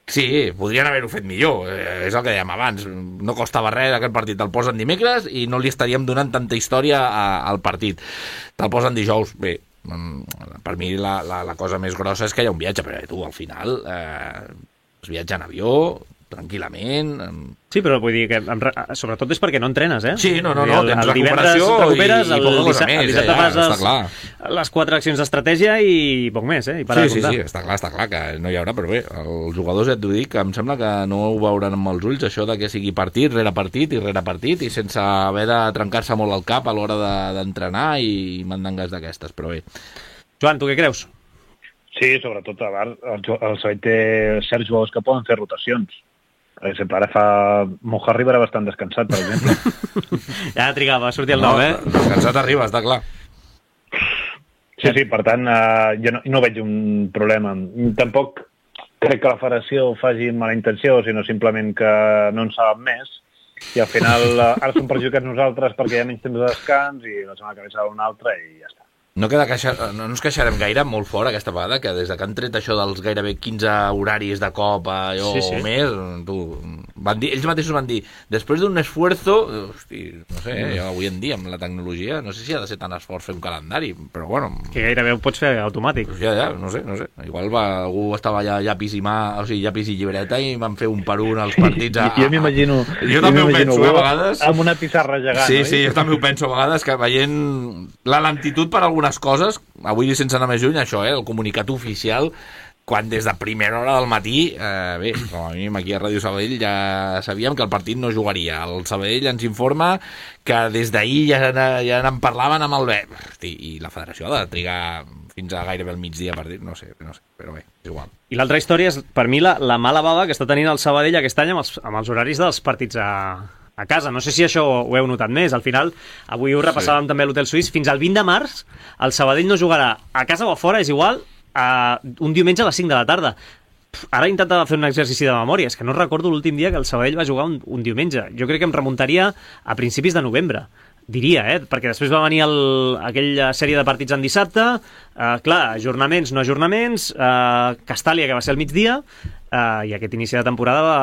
Sí, podrien haver-ho fet millor, eh, és el que dèiem abans, no costava res aquest partit, te'l posen dimecres i no li estaríem donant tanta història a, al partit, te'l posen dijous, bé, per mi la, la, la cosa més grossa és que hi ha un viatge, però tu al final eh, es viatja en avió, tranquil·lament... Amb... Sí, però vull dir que em, sobretot és perquè no entrenes, eh? Sí, no, no, no, el, tens el divendres recuperació recuperes, i, i el, poca cosa dissabte, més, el dissabte eh, ja, fas està les, clar. les quatre accions d'estratègia i poc més, eh? I para Sí, de sí, comptar. sí, està clar, està clar que no hi haurà, però bé, els jugadors ja et dic que em sembla que no ho veuran amb els ulls, això de que sigui partit rere partit i rere partit i sense haver de trencar-se molt el cap a l'hora d'entrenar de, i mandangues d'aquestes, però bé. Joan, tu què creus? Sí, sobretot a el, el Sabadell té certs jugadors que poden fer rotacions. Per exemple, ara fa... Moja arriba era bastant descansat, per exemple. Ja trigava a sortir el nou, eh? Descansat arriba, està clar. Sí, sí, per tant, eh, jo no, no veig un problema. Tampoc crec que la federació ho faci amb mala intenció, sinó simplement que no en saben més. I al final, eh, ara som perjudicats nosaltres perquè hi ha menys temps de descans i la setmana que ve serà una altra i ja està. No, queda queixar, no ens queixarem gaire molt fora aquesta vegada, que des de que han tret això dels gairebé quinze horaris de cop allò, Sí, sí. o més, tu, van dir, ells mateixos van dir, després d'un esfuerzo, hosti, no sé, eh, avui en dia amb la tecnologia, no sé si ha de ser tan esforç fer un calendari, però bueno... Que gairebé ho pots fer automàtic. Ja, ja, no sé, no sé. Igual va, algú estava allà llapis i mà, o sigui, llapis i llibreta i van fer un per un els partits a... Jo m'imagino... Jo també ho penso, eh, a vegades... Amb una pissarra gegant, Sí, oi? sí, jo també ho penso a vegades, que veient la lentitud per algunes coses, avui sense anar més lluny, això, eh, el comunicat oficial, quan des de primera hora del matí, eh, bé, com a mínim aquí a Ràdio Sabadell ja sabíem que el partit no jugaria. El Sabadell ens informa que des d'ahir ja, ja en parlaven amb el B. Hosti, i la federació ha de trigar fins a gairebé el migdia per dir, no sé, no sé, però bé, és igual. I l'altra història és, per mi, la, la mala bava que està tenint el Sabadell aquest any amb els, amb els horaris dels partits a, a casa. No sé si això ho heu notat més. Al final, avui ho repassàvem sí. també a l'Hotel Suís, fins al vint de març el Sabadell no jugarà a casa o a fora, és igual, a un diumenge a les cinc de la tarda. Ara intentava fer un exercici de memòria, és que no recordo l'últim dia que el Sabadell va jugar un, un diumenge. Jo crec que em remuntaria a principis de novembre, diria, eh? Perquè després va venir el, aquella sèrie de partits en dissabte, eh, clar, ajornaments, no ajornaments, eh, Castàlia, que va ser al migdia, eh, i aquest inici de temporada va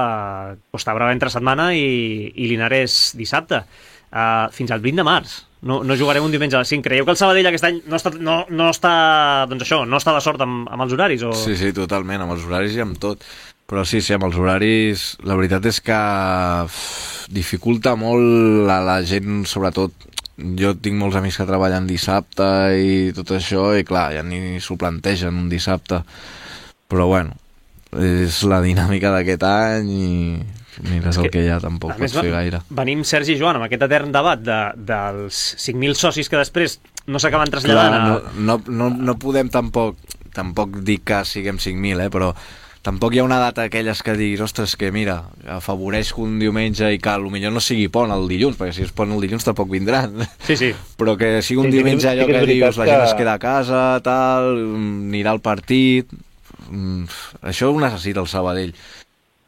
Costa Brava entre setmana i, i Linares dissabte. Eh, fins al vint de març. No, no jugarem un diumenge a les cinc. Creieu que el Sabadell aquest any no està, no, no està, doncs això, no està de sort amb, amb els horaris? O... Sí, sí, totalment, amb els horaris i amb tot. Però sí, sí, amb els horaris, la veritat és que uf, dificulta molt a la gent, sobretot. Jo tinc molts amics que treballen dissabte i tot això, i clar, ja ni s'ho plantegen un dissabte. Però bueno, és la dinàmica d'aquest any i... Mira, és el que ja tampoc pots fer gaire. Venim, Sergi i Joan, amb aquest etern debat de, dels cinc mil socis que després no s'acaben traslladant. Clar, no, no, no, no podem tampoc, tampoc dir que siguem cinc mil, eh, però tampoc hi ha una data aquelles que diguis, ostres, que mira, afavoreix que un diumenge i que potser no sigui pont el dilluns, perquè si és pont el dilluns tampoc vindran. Sí, sí. Però que sigui un sí, diumenge sí, allò sí que, que dius, la gent es queda a casa, tal, anirà al partit... Això ho necessita el Sabadell.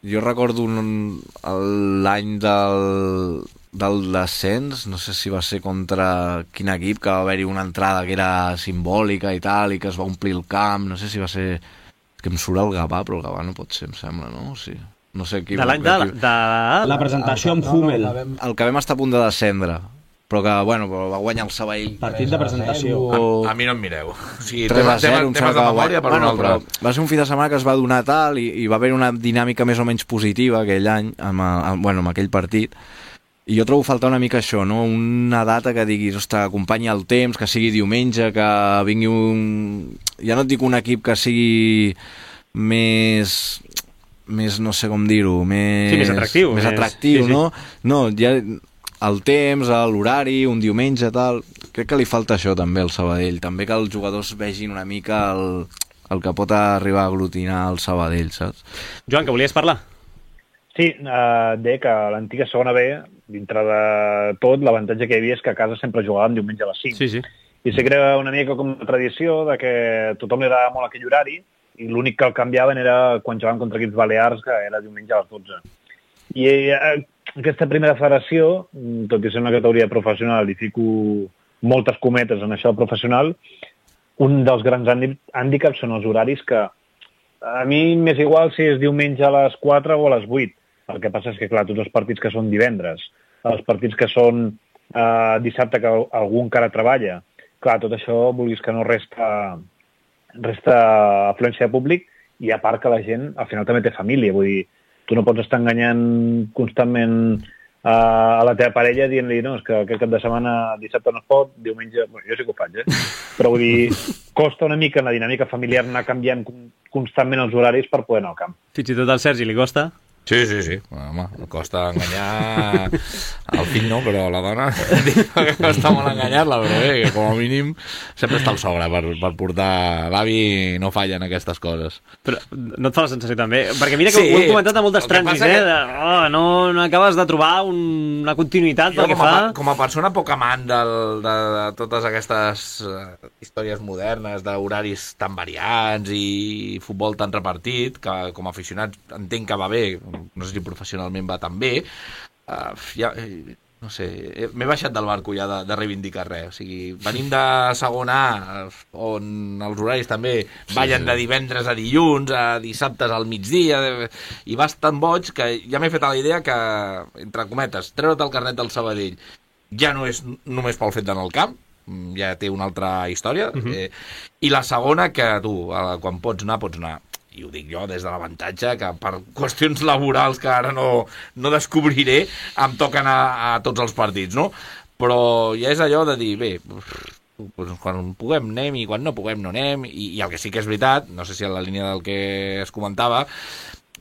Jo recordo l'any del, del descens, no sé si va ser contra quin equip, que va haver-hi una entrada que era simbòlica i tal, i que es va omplir el camp, no sé si va ser... que em surt el Gavà, però el Gavà no pot ser, em sembla, no? Sí. No sé qui... De l'any de, de... La presentació amb Hummel. El que vam estar a punt de descendre, però que, bueno, va guanyar el Sabadell. Partit de presentació. A, a mi no em mireu. O sigui, tres a zero, temes, temes de memòria per bueno, un altre. Va ser un fi de setmana que es va donar tal i, i va haver una dinàmica més o menys positiva aquell any, amb, amb, bueno, amb aquell partit. I jo trobo faltar una mica això, no? Una data que diguis, ostres, acompanya el temps, que sigui diumenge, que vingui un... Ja no et dic un equip que sigui més... més no sé com dir-ho, més... Sí, més atractiu. Més, més atractiu, sí, sí. no? No, ja... el temps, l'horari, un diumenge, tal... Crec que li falta això també al Sabadell. També que els jugadors vegin una mica el, el que pot arribar a aglutinar el Sabadell, saps? Joan, que volies parlar? Sí, eh, deia que a l'antiga segona B, dintre de tot, l'avantatge que hi havia és que a casa sempre jugàvem diumenge a les cinc. Sí, sí. I sé que era una mica com una tradició de que tothom li agradava molt aquell horari i l'únic que el canviaven era quan jugàvem contra equips balears, que era diumenge a les dotze. I eh, aquesta primera federació, tot i ser una categoria professional, i fico moltes cometes en això professional, un dels grans hàndicaps són els horaris que a mi m'és igual si és diumenge a les quatre o a les vuit. El que passa és que, clar, tots els partits que són divendres, els partits que són eh, dissabte que algú encara treballa, clar, tot això, vulguis que no resta, resta afluència de públic i a part que la gent al final també té família, vull dir, tu no pots estar enganyant constantment uh, a la teva parella dient-li no, és que aquest cap de setmana dissabte no es pot, diumenge... Bueno, jo sí que ho faig, eh? Però vull dir, costa una mica en la dinàmica familiar anar canviant constantment els horaris per poder anar al camp. Fins i tot al Sergi li costa? Sí, sí, sí. Home, costa enganyar el fill, no, però la dona costa molt enganyar-la, però bé, que com a mínim sempre està el sogre per, per portar l'avi, no falla en aquestes coses. Però no et fa la sensació també? Perquè mira que sí, ho hem comentat a moltes trànsits, eh? Que... Oh, no, no acabes de trobar un, una continuïtat pel que fa... A, com a persona poc amant del, de, de totes aquestes uh, històries modernes, d'horaris tan variats i futbol tan repartit, que com a aficionat entenc que va bé, no sé si professionalment va tan bé, uh, ja, no sé, m'he baixat del barco ja de, de reivindicar res, o sigui, venim de segona A, on els horaris també ballen de divendres a dilluns, a dissabtes al migdia, i vas tan boig que ja m'he fet a la idea que, entre cometes, treure't el carnet del Sabadell ja no és només pel fet d'anar al camp, ja té una altra història, uh-huh. eh, i la segona que tu, quan pots anar, pots anar. I ho dic jo des de l'avantatge que per qüestions laborals que ara no, no descobriré em toquen a, a tots els partits, no? Però ja és allò de dir, bé, pues, quan puguem anem i quan no puguem no anem, i, i el que sí que és veritat, no sé si en la línia del que es comentava,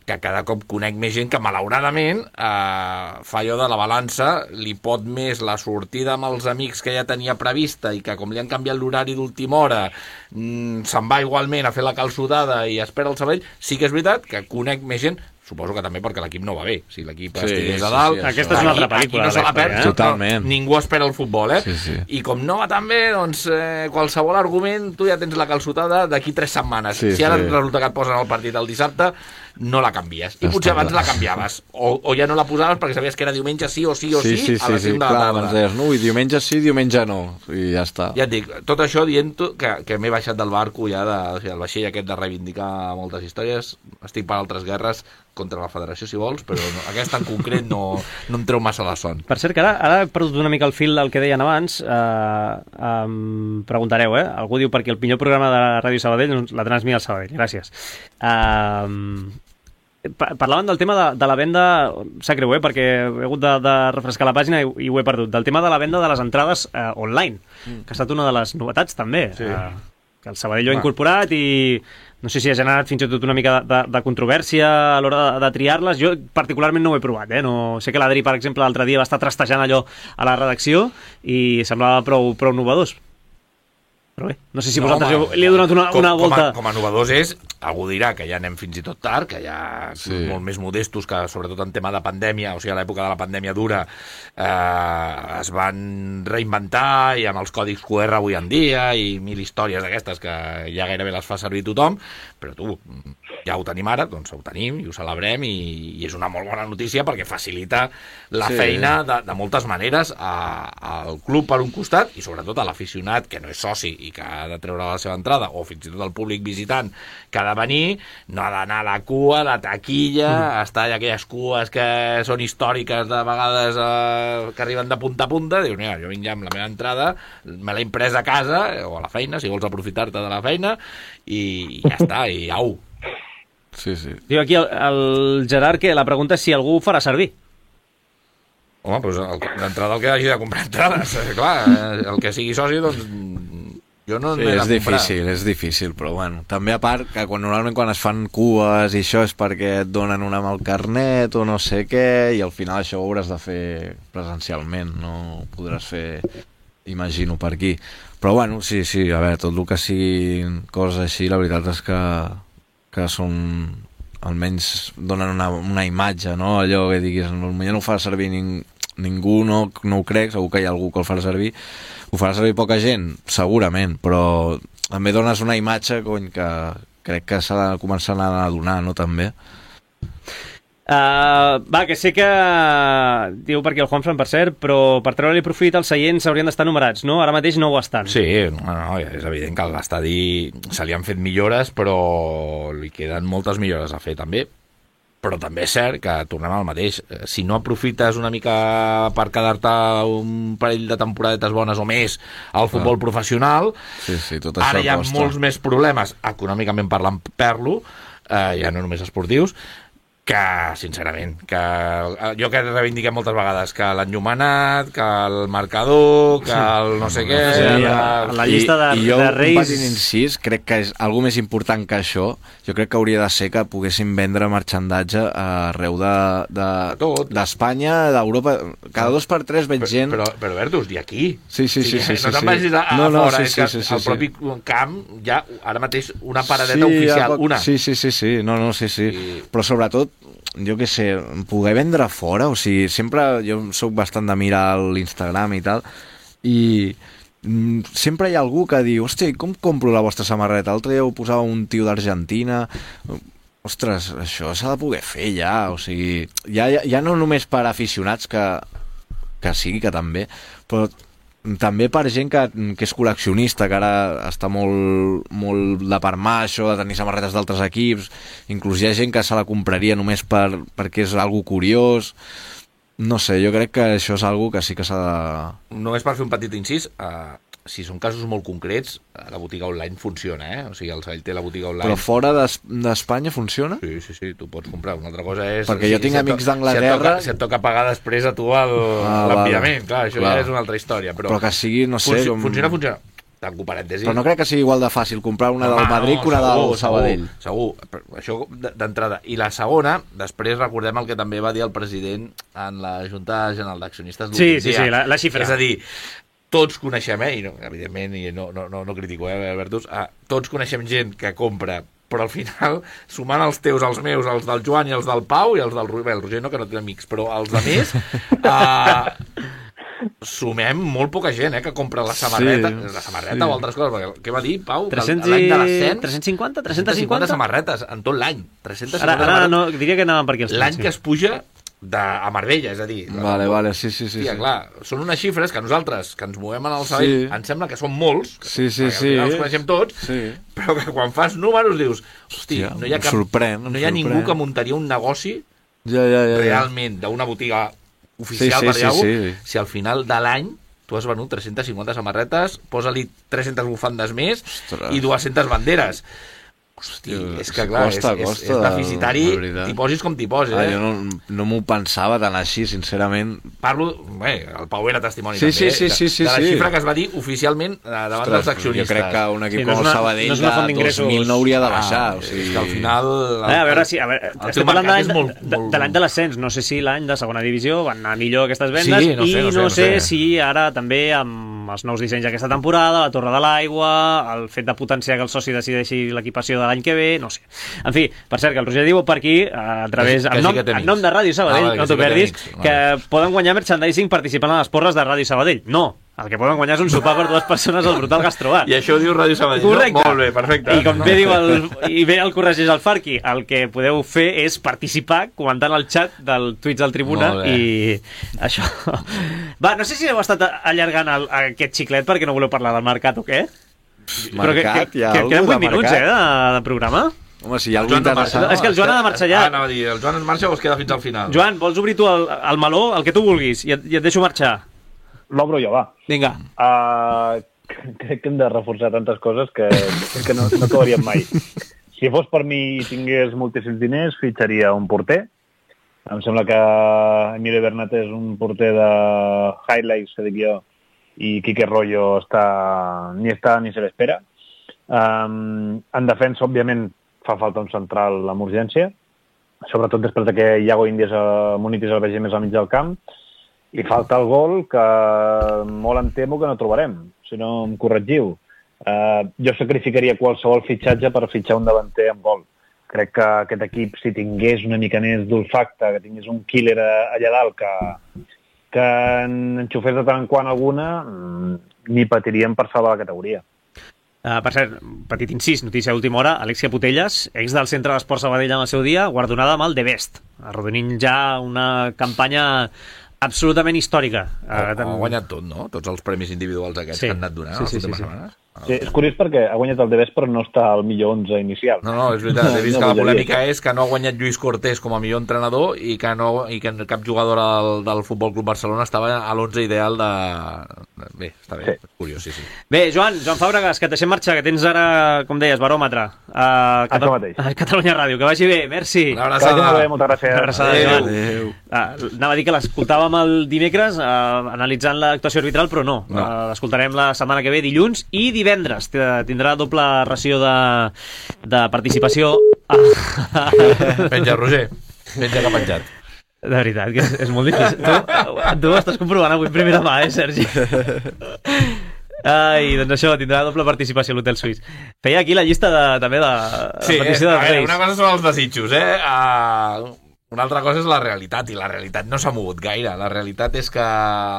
que cada cop conec més gent que malauradament eh, fa allò de la balança, li pot més la sortida amb els amics que ja tenia prevista i que com li han canviat l'horari d'última hora mmm, se'n va igualment a fer la calçotada i espera el Sabadell. Sí que és veritat que conec més gent, suposo que també perquè l'equip no va bé. Si l'equip sí, estigués a dalt... Sí, sí, aquesta és una altra pel·lícula. No se la perd, eh? Totalment. No, ningú espera el futbol, eh? Sí, sí. I com no va tan bé, doncs eh, qualsevol argument, tu ja tens la calçotada d'aquí tres setmanes. Sí, si ara sí. resulta que et posen el partit el dissabte, no la canvies. I potser abans la canviaves. O, o ja no la posaves perquè sabies que era diumenge sí o sí o sí, sí, sí a les sí, cinc sí, de la clar, tarda. doncs deies, no, i diumenge sí, diumenge no, i ja està. Ja et dic, tot això dient que, que m'he baixat del barco ja, de, o sigui, el vaixell aquest de reivindicar moltes històries, estic per altres guerres contra la federació, si vols, però no, aquesta en concret no, no em treu massa la son. Per cert, que ara, ara he perdut una mica el fil del que deien abans. Eh, em preguntareu, eh? Algú diu perquè el millor programa de Ràdio Sabadell doncs, la transmet al Sabadell. Gràcies. Eh, parlaven del tema de, de la venda, sap greu, eh? Perquè he hagut de, de refrescar la pàgina i, i ho he perdut, del tema de la venda de les entrades eh, online, mm. que ha estat una de les novetats també. Sí. Eh, que el Sabadell ho ha incorporat i no sé si ha generat fins i tot una mica de, de, de controvèrsia a l'hora de, de triar-les. Jo particularment no ho he provat, eh? No, sé que l'Adri, per exemple, l'altre dia va estar trastejant allò a la redacció i semblava prou, prou novedós. Però bé, no sé si no, vosaltres home, li he donat una, com, una volta... Com a, com a novedós és, algú dirà que ja anem fins i tot tard, que ja sí. Som molt més modestos, que sobretot en tema de pandèmia, o sigui, a l'època de la pandèmia dura, eh, es van reinventar i amb els còdics Q R avui en dia i mil històries d'aquestes que ja gairebé les fa servir tothom, però tu, ja ho tenim ara, doncs ho tenim i ho celebrem i, i és una molt bona notícia perquè facilita la sí. feina de, de moltes maneres a, al club per un costat i sobretot a l'aficionat que no és soci i que ha de treure la seva entrada, o fins i tot el públic visitant que ha de venir, no ha d'anar a la cua, a la taquilla, mm. estar allà aquelles cues que són històriques de vegades eh, que arriben de punta a punta, dius, mira, jo vinc ja amb la meva entrada, me l'he imprès a casa o a la feina, si vols aprofitar-te de la feina, i ja està, i au. Sí, sí. Diu aquí el, el Gerard que la pregunta és si algú ho farà servir. Home, doncs d'entrada el que hagi de comprar entrades, clar, el que sigui soci, doncs jo no sí, n'he de és comprar. difícil, és difícil, però bueno, també a part que quan, normalment quan es fan cues i això és perquè et donen una amb el carnet o no sé què, i al final això ho hauràs de fer presencialment, no ho podràs fer, imagino, per aquí. Però bueno, sí, sí, a veure, tot el que siguin coses així, la veritat és que, que són, almenys donen una, una imatge, no? Allò que diguis, potser no ho fa servir ning, ningú, no, no ho crec, segur que hi ha algú que el farà servir. Ho farà servir poca gent? Segurament, però també dones una imatge, cony, que crec que s'ha de començar a donar, no, també? Uh, va, que sé que diu per aquí el Juanfran, per cert, però per treure-li profit els seients haurien d'estar numerats, no? Ara mateix no ho estan. Sí, no, no, és evident que a l'estadi se li han fet millores, però li queden moltes millores a fer també. Però també és cert que tornem al mateix. Si no aprofites una mica per quedar-te un parell de temporadetes bones o més al futbol ah. professional, sí, sí, tot això ara hi ha costa. Molts més problemes, econòmicament parlant, per-lo, eh, ja no només esportius, que, sincerament, que jo que reivindiquem moltes vegades, que l'enllumenat, que el marcador, que el no sé què... Sí, la, la llista de, I, i jo, de Reis... un petit incís, crec que és algo més important que això, jo crec que hauria de ser que poguessin vendre marxandatge arreu d'Espanya, de, de d'Europa, cada dos per tres veig gent... Però, però, però Bertus, i aquí? Sí, sí, sí. sí, sí no te'n sí. vagis a, a no, no, fora, sí, és sí, que sí, sí, al propi sí. camp hi ha ara mateix una paradeta sí, oficial, poc... una. Sí, sí, sí, sí, no, no, sí, sí. I... Però sobretot, jo què sé, poder vendre fora, o sigui, sempre jo sóc bastant de mirar l'Instagram i tal, i mm, sempre hi ha algú que diu, hòstia, com compro la vostra samarreta? L'altre dia ho posava un tio d'Argentina... Ostres, això s'ha de poder fer ja, o sigui, ja, ja, ja no només per aficionats, que, que sí, que també, però també per gent que, que és col·leccionista, que ara està molt, molt de per mà això de tenir samarretes d'altres equips, inclús hi ha gent que se la compraria només per, perquè és algo curiós. No sé, jo crec que això és algo que sí que s'ha de... Només per fer un petit incís, uh, si són casos molt concrets, la botiga online funciona, eh? O sigui, el Sabadell té la botiga online. Però fora d'Espanya funciona? Sí, sí, sí, tu pots comprar. Una altra cosa és... Perquè jo si, tinc si amics to... d'Anglaterra... Si, et toca, si et toca pagar després a tu l'enviament, ah, clar, això clar. Ja és una altra història. Però, però que sigui, no sé... Funci com... Funciona, funciona. tanco parèntesi. Però no crec que sigui igual de fàcil comprar una del Madrid que una del Sabadell. Segur, segur, això d'entrada. I la segona, després recordem el que també va dir el president en la Junta General d'Accionistes l'últim dia. Sí, sí, sí, la, la xifra. És a dir, tots coneixem, eh, i no, evidentment, i no, no, no, no critico, eh, Bertus, eh, tots coneixem gent que compra, però al final, sumant els teus, els meus, els del Joan i els del Pau, i els del Roger, el Roger no, que no té amics, però els de més, eh, sumem molt poca gent, eh, que compra la samarreta, sí, la samarreta sí. o altres coses, perquè què va dir, Pau? tres-cents l'any de l'ascens... tres-cents cinquanta? tres-cents cinquanta samarretes en tot l'any. tres-cents cinquanta ara, ara no, diria que anàvem per aquí els l'any que es puja de, a Marbella, és a dir... Vale, vale, sí, sí, sí. Tia, sí. Clar, són unes xifres que nosaltres, que ens movem en el Sabadell, sí. ens sembla que són molts, que, sí, sí, sí. els coneixem tots, sí. però que quan fas números dius, hosti, Hòstia, no hi ha, cap, sorprèn, no hi ha ningú que muntaria un negoci ja, ja, ja, realment d'una botiga oficial, sí, sí, per dir-ho, sí, sí. si al final de l'any tu has venut tres-centes cinquanta samarretes, posa-li tres-centes bufandes més Ostres. i dues-centes banderes. Hosti, és que clar, costa, és, costa, és, és deficitari, t'hi posis com t'hi posis. Ah, eh? jo no, no m'ho pensava tan així, sincerament. Parlo, bé, el Pau era testimoni sí, també, sí, sí, sí, de, de la sí. xifra que es va dir oficialment davant Ostres, dels accionistes. Jo crec que un equip sí, no com el una, Sabadell no de dos mil no hauria de baixar. Ah, o sigui... És que al final... El, a veure, sí, a veure, estem parlant de, molt, de, molt... de l'any de l'ascens, no sé si l'any de segona divisió van anar millor aquestes vendes, sí, no sé, i no sé, no sé, no sé, no sé si ara també amb els nous dissenys d'aquesta temporada, la Torre de l'Aigua, el fet de potenciar que el soci decideixi l'equipació de l'any que ve, no sé. En fi, per cert, que el Roger diu per aquí, a través, en nom, en nom de Ràdio Sabadell, ah, vale, no t'ho sí perdis, que, que poden guanyar merchandising participant a les porres de Ràdio Sabadell. No, el que poden guanyar és un sopar per dues persones al Brutal Gastrobar. I això ho diu Ràdio Sabadell, correcte. No? Molt bé, perfecte. I com bé diu el, i bé el corregeix el Farqui, el que podeu fer és participar comentant el xat del Twitch del Tribuna i això. Va, no sé si heu estat allargant el, aquest xiclet perquè no voleu parlar del mercat o què? Mercat, però que, que, hi ha que, queden vuit minuts, eh, de, de programa. Home, si hi ha algú interessant... No, és que el Joan ha de marxar ja. Ah, anava a dir, el Joan es marxa o es queda fins al final? Joan, vols obrir tu el, el meló, el que tu vulguis, i et, i et deixo marxar. L'obro jo, va. Vinga. Uh, crec que hem de reforçar tantes coses que, que no, no acabaríem mai. Si fos per mi i tingués moltíssims diners, fitxaria un porter. Em sembla que Emilio Bernat és un porter de highlights, que dic jo, i Quique Rollo està, ni està ni se l'espera. Um, en defensa, òbviament, fa falta un central amb urgència, sobretot després que Iago Índies a Munitis el vegi més al mig del camp, i falta el gol que molt em temo que no trobarem, si no em corregiu. Uh, jo sacrificaria qualsevol fitxatge per fitxar un davanter amb gol. Crec que aquest equip, si tingués una mica més d'olfacte, que tingués un killer allà dalt que, que enxufés de tant en quant alguna, ni patiríem per salvar la categoria. Uh, per cert, petit incís, notícia d'última hora, Alexia Putelles, ex del Centre d'Esports Sabadell en el seu dia, guardonada amb el The Best, arrodonint ja una campanya absolutament històrica. Ha, uh, ha guanyat tot, no? Tots els premis individuals aquests sí. que han anat donant sí, sí, les últimes sí, sí. setmanes. Sí, és curiós perquè ha guanyat el The Best però no està al millor onze inicial. No, no, és veritat. He vist no, que la polèmica és que no ha guanyat Lluís Cortés com a millor entrenador i que, no, i que cap jugador del, del Futbol Club Barcelona estava a l'onze ideal de... Bé, està bé, sí. Curiós, sí, sí. Bé, Joan, Joan Fàbregas, que et deixem marxar, que tens ara, com deies, baròmetre a, Cata... a Catalunya Ràdio. Que vagi bé, merci. Una abraçada. Bé, moltes gràcies. Una abraçada, Adéu. Adéu. Ah, anava a dir que l'escoltàvem el dimecres eh, analitzant l'actuació arbitral, però no. no. Eh, l'escoltarem la setmana que ve, dilluns i divendres. Tindrà doble ració de, de participació. Penja, Roger. Penja que ha penjat. De veritat, que és, és molt difícil. Tu, tu ho estàs comprovant avui primera mà, eh, Sergi? Ai, doncs això, tindrà doble participació a l'Hotel Suís. Feia aquí la llista de, també de, de sí, petició eh, dels Reis. Una cosa són els desitjos, eh? Uh, una altra cosa és la realitat, i la realitat no s'ha mogut gaire. La realitat és que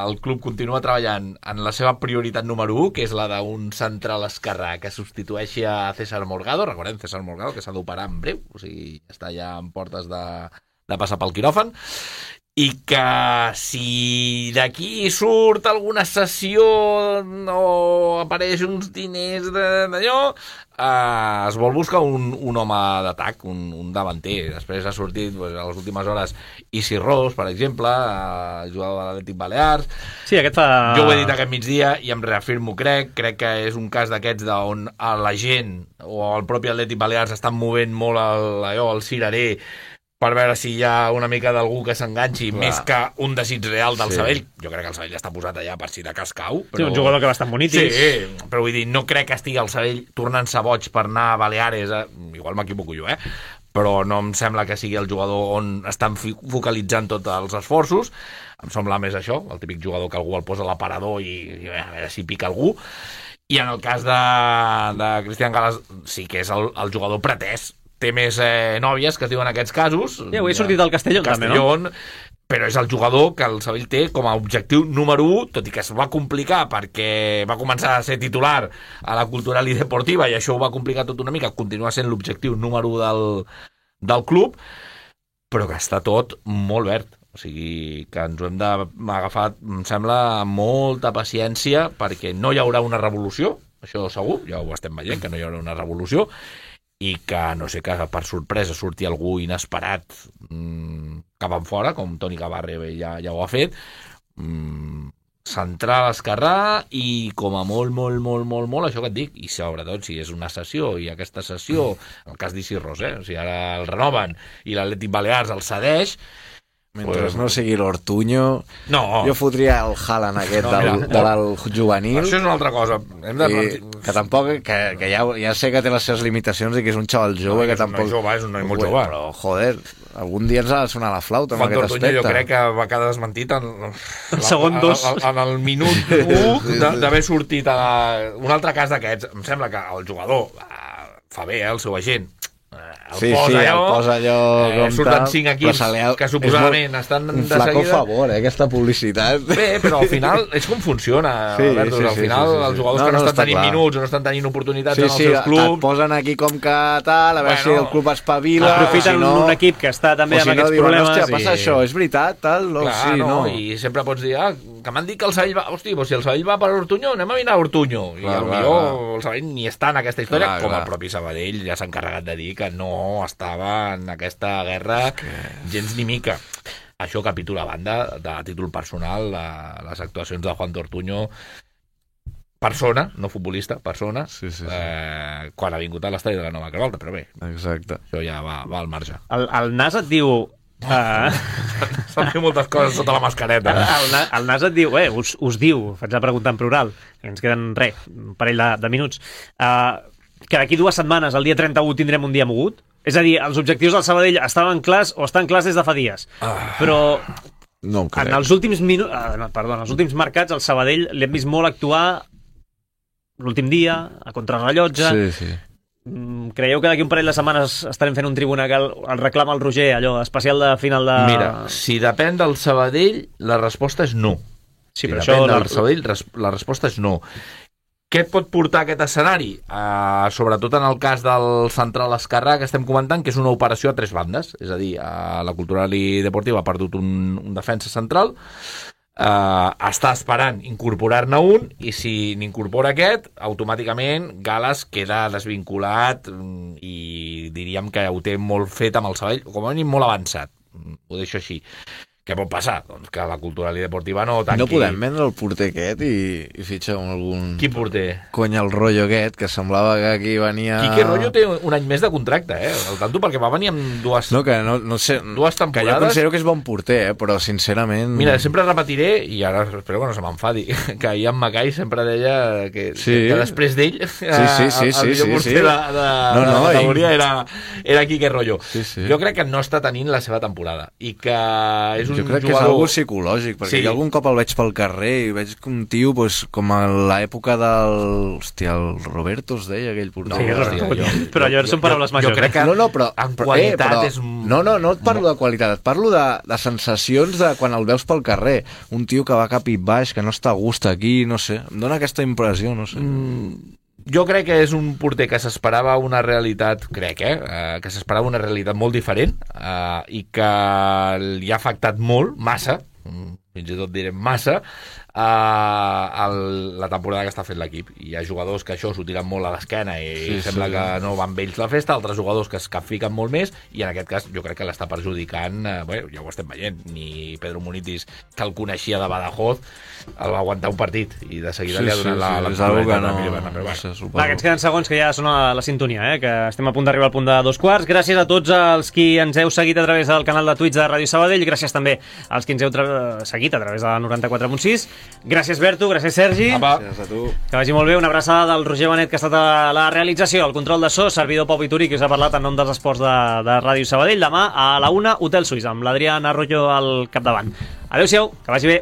el club continua treballant en la seva prioritat número u, que és la d'un central esquerrà que substitueixi a César Morgado. Recordem, César Morgado, que s'ha d'operar en breu, o sigui, està ja en portes de, de passar pel quiròfan. I que si d'aquí surt alguna sessió o apareix uns diners d'allò, eh, es vol buscar un, un home d'atac, un, un davanter. Després ha sortit pues, a les últimes hores Isi Ros, per exemple, eh, jugador de l'Atlètic Balears. Sí, aquest fa... Jo ho he dit aquest migdia i em reafirmo, crec. Crec que és un cas d'aquests on la gent o el propi Atlètic Balears estan movent molt el, allò, el cirerer per veure si hi ha una mica d'algú que s'enganxi, Clar. més que un desig real del Sí. Sabell. Jo crec que el Sabell està posat allà per si de cas cau. Sí, un jugador que va estar bonitis. Sí, però vull dir, no crec que estigui el Sabell tornant-se boig per anar a Baleares. Eh? Igual m'equivoco jo, eh? Però no em sembla que sigui el jugador on estan focalitzant tots els esforços. Em sembla més això, el típic jugador que algú el posa a l'aparador i, i a veure si pica algú. I en el cas de, de Cristian Gales sí que és el, el jugador pretès. Té més eh, nòvies que es diuen aquests casos. Sí, avui he sortit del Castellón, Castellón, també, no? Però és el jugador que el Sabell té com a objectiu número u, tot i que es va complicar perquè va començar a ser titular a la Cultural i Deportiva i això ho va complicar tot una mica, continua sent l'objectiu número u del, del club, però que està tot molt verd. O sigui, que ens ho hem d'agafar, em sembla, amb molta paciència, perquè no hi haurà una revolució, això segur, ja ho estem veient, que no hi haurà una revolució, i que, no sé, que per sorpresa surti algú inesperat mmm, cap en fora, com Toni Gavarre ja, ja ho ha fet, mmm, centrar l'esquerrà i com a molt, molt, molt, molt, molt, això que et dic, i sobretot si és una sessió, i aquesta sessió, en el cas d'Ici Ros, eh? O sigui, ara el renoven i l'Atlètic Balears el cedeix. Mentre pues, no sigui l'Ortuño, no. jo fotria el Haaland aquest no, del, de l'alt juvenil. Això és una altra cosa. Hem de... I, que tampoc, que, que ja, ja sé que té les seves limitacions i que és un xaval jove, no, que, que tampoc... És un noi jove, és un noi molt jove. Però, joder, algun dia ens ha de sonar la flauta amb Juan aquest Ortuño aspecte. Jo crec que va quedar desmentit en, el segon dos. En, en el minut u d'haver sortit a la... un altre cas d'aquests. Em sembla que el jugador fa bé, eh, el seu agent, el sí, posa sí, allò, el posa allò eh, surten cinc equips ha... que suposadament estan un de flaco seguida. Favor, eh, aquesta publicitat. Bé, però al final és com funciona, sí, Alberto, sí, al sí, final sí, sí, sí. els jugadors no, que no, no estan tenint clar. minuts o no estan tenint oportunitats sí, en els sí, seus clubs, et posen aquí com que tal, a veure bueno, si el club espavila, aprofiten si no, un equip que està també amb si aquests no, diuen, problemes. Hòstia, i... passa això, és veritat, tal, no, clar, sí, no, no. I sempre pots dir, ah, que m'han dit que el Sabell va... Hosti, doncs si el Sabell va per Ortuño, anem a mirar Ortuño. I clar, potser clar. el Sabell ni està en aquesta història, clar, com clar. el propi Sabadell ja s'ha encarregat de dir que no estava en aquesta guerra que... gens ni mica. Això capítol a banda, de títol personal, de les actuacions de Juan Ortuño, persona, no futbolista, persona, sí, sí, sí. Eh, quan ha vingut a l'estadi de la Nova Carvalta, però bé, exacte. Això ja va, va al marge. El, el Nas et diu... Uh... S'han fet moltes coses sota la mascareta. El, el, el Nas et diu, eh, us, us diu, faig la pregunta en plural, que ens queden, res, un parell de, de minuts, uh, que d'aquí dues setmanes, el dia trenta-u, tindrem un dia mogut? És a dir, els objectius del Sabadell estaven clars o estan clars des de fa dies. Ah, però no en els últims minuts, uh, no, perdó, en els últims mercats, el Sabadell l'hem vist molt actuar l'últim dia, a contrarrellotge. Sí, sí. Creieu que d'aquí un parell de setmanes estarem fent un tribuna que el, el reclama el Roger, allò especial de final de... Mira, si depèn del Sabadell, la resposta és no. Sí, si però depèn això... del Sabadell, la resposta és no. Què et pot portar aquest escenari? Uh, sobretot en el cas del central esquerrà que estem comentant, que és una operació a tres bandes. És a dir, uh, la Cultural i Deportiva ha perdut un, un defensa central, Uh, està esperant incorporar-ne un i si n'incorpora aquest, automàticament Gales queda desvinculat i diríem que ho té molt fet amb el Sabadell, com a mínim molt avançat, ho deixo així. Què pot passar? Doncs que la Cultural i Deportiva no tanqui... No podem vendre el porter aquest i, i fitxar algun... Quin porter? Cony, el Rollo aquest, que semblava que aquí venia... Quique Rollo té un any més de contracte, eh? El tanto perquè va venir amb dues... No, que no, no sé... Dues temporades... Que jo considero que és bon porter, eh? Però sincerament... Mira, sempre repetiré, i ara espero que no se m'enfadi, que Ian Mackay sempre deia que, sí. que després d'ell sí, sí, sí, el, el sí, millor sí, porter sí. de, de, no, no, de la categoria i... era, era Quique Rollo. Sí, sí. Jo crec que no està tenint la seva temporada i que és un jo crec jugador... que és algo psicològic, perquè sí. jo algun cop el veig pel carrer i veig que un tio, pues, com a l'època del... Hòstia, el Roberto es deia aquell porter. No, sí, hòstia, jo, però allò són paraules majors. Jo crec que no, no, però, en qualitat eh, però, és... No, no, no et parlo de qualitat, et parlo de, de sensacions de quan el veus pel carrer. Un tio que va cap i baix, que no està a gust aquí, no sé. Em dóna aquesta impressió, no sé. Mm... Jo crec que és un porter que s'esperava una realitat, crec, eh? Uh, que s'esperava una realitat molt diferent uh, i que li ha afectat molt, massa, fins i tot direm massa, uh, el, la temporada que està fent l'equip. Hi ha jugadors que això s'ho tiren molt a l'esquena i sí, sembla sí. que no van bé ells la festa, altres jugadors que es capfiquen molt més, i en aquest cas jo crec que l'està perjudicant, uh, bé, ja ho estem veient, ni Pedro Munitis, que el coneixia de Badajoz, el va aguantar un partit i de seguida sí, li ha donat sí, la, la, sí, la que no, però, no sé, Va, que ens queden segons que ja sona la, la sintonia, eh? Que estem a punt d'arribar al punt de dos quarts. Gràcies a tots els qui ens heu seguit a través del canal de Twitch de Ràdio Sabadell, gràcies també als qui ens heu seguit a través de la noranta-quatre punt sis. Gràcies Berto, gràcies Sergi. Apa. Gràcies a tu. Que vagi molt bé, una abraçada del Roger Benet, que ha estat a la realització, el control de so, servidor Pau Vituri, que us ha parlat en nom dels esports de, de Ràdio Sabadell. Demà a la una, Hotel Suís, amb l'Adrián Arroyo al capdavant. Adéu-siau, que vagi bé.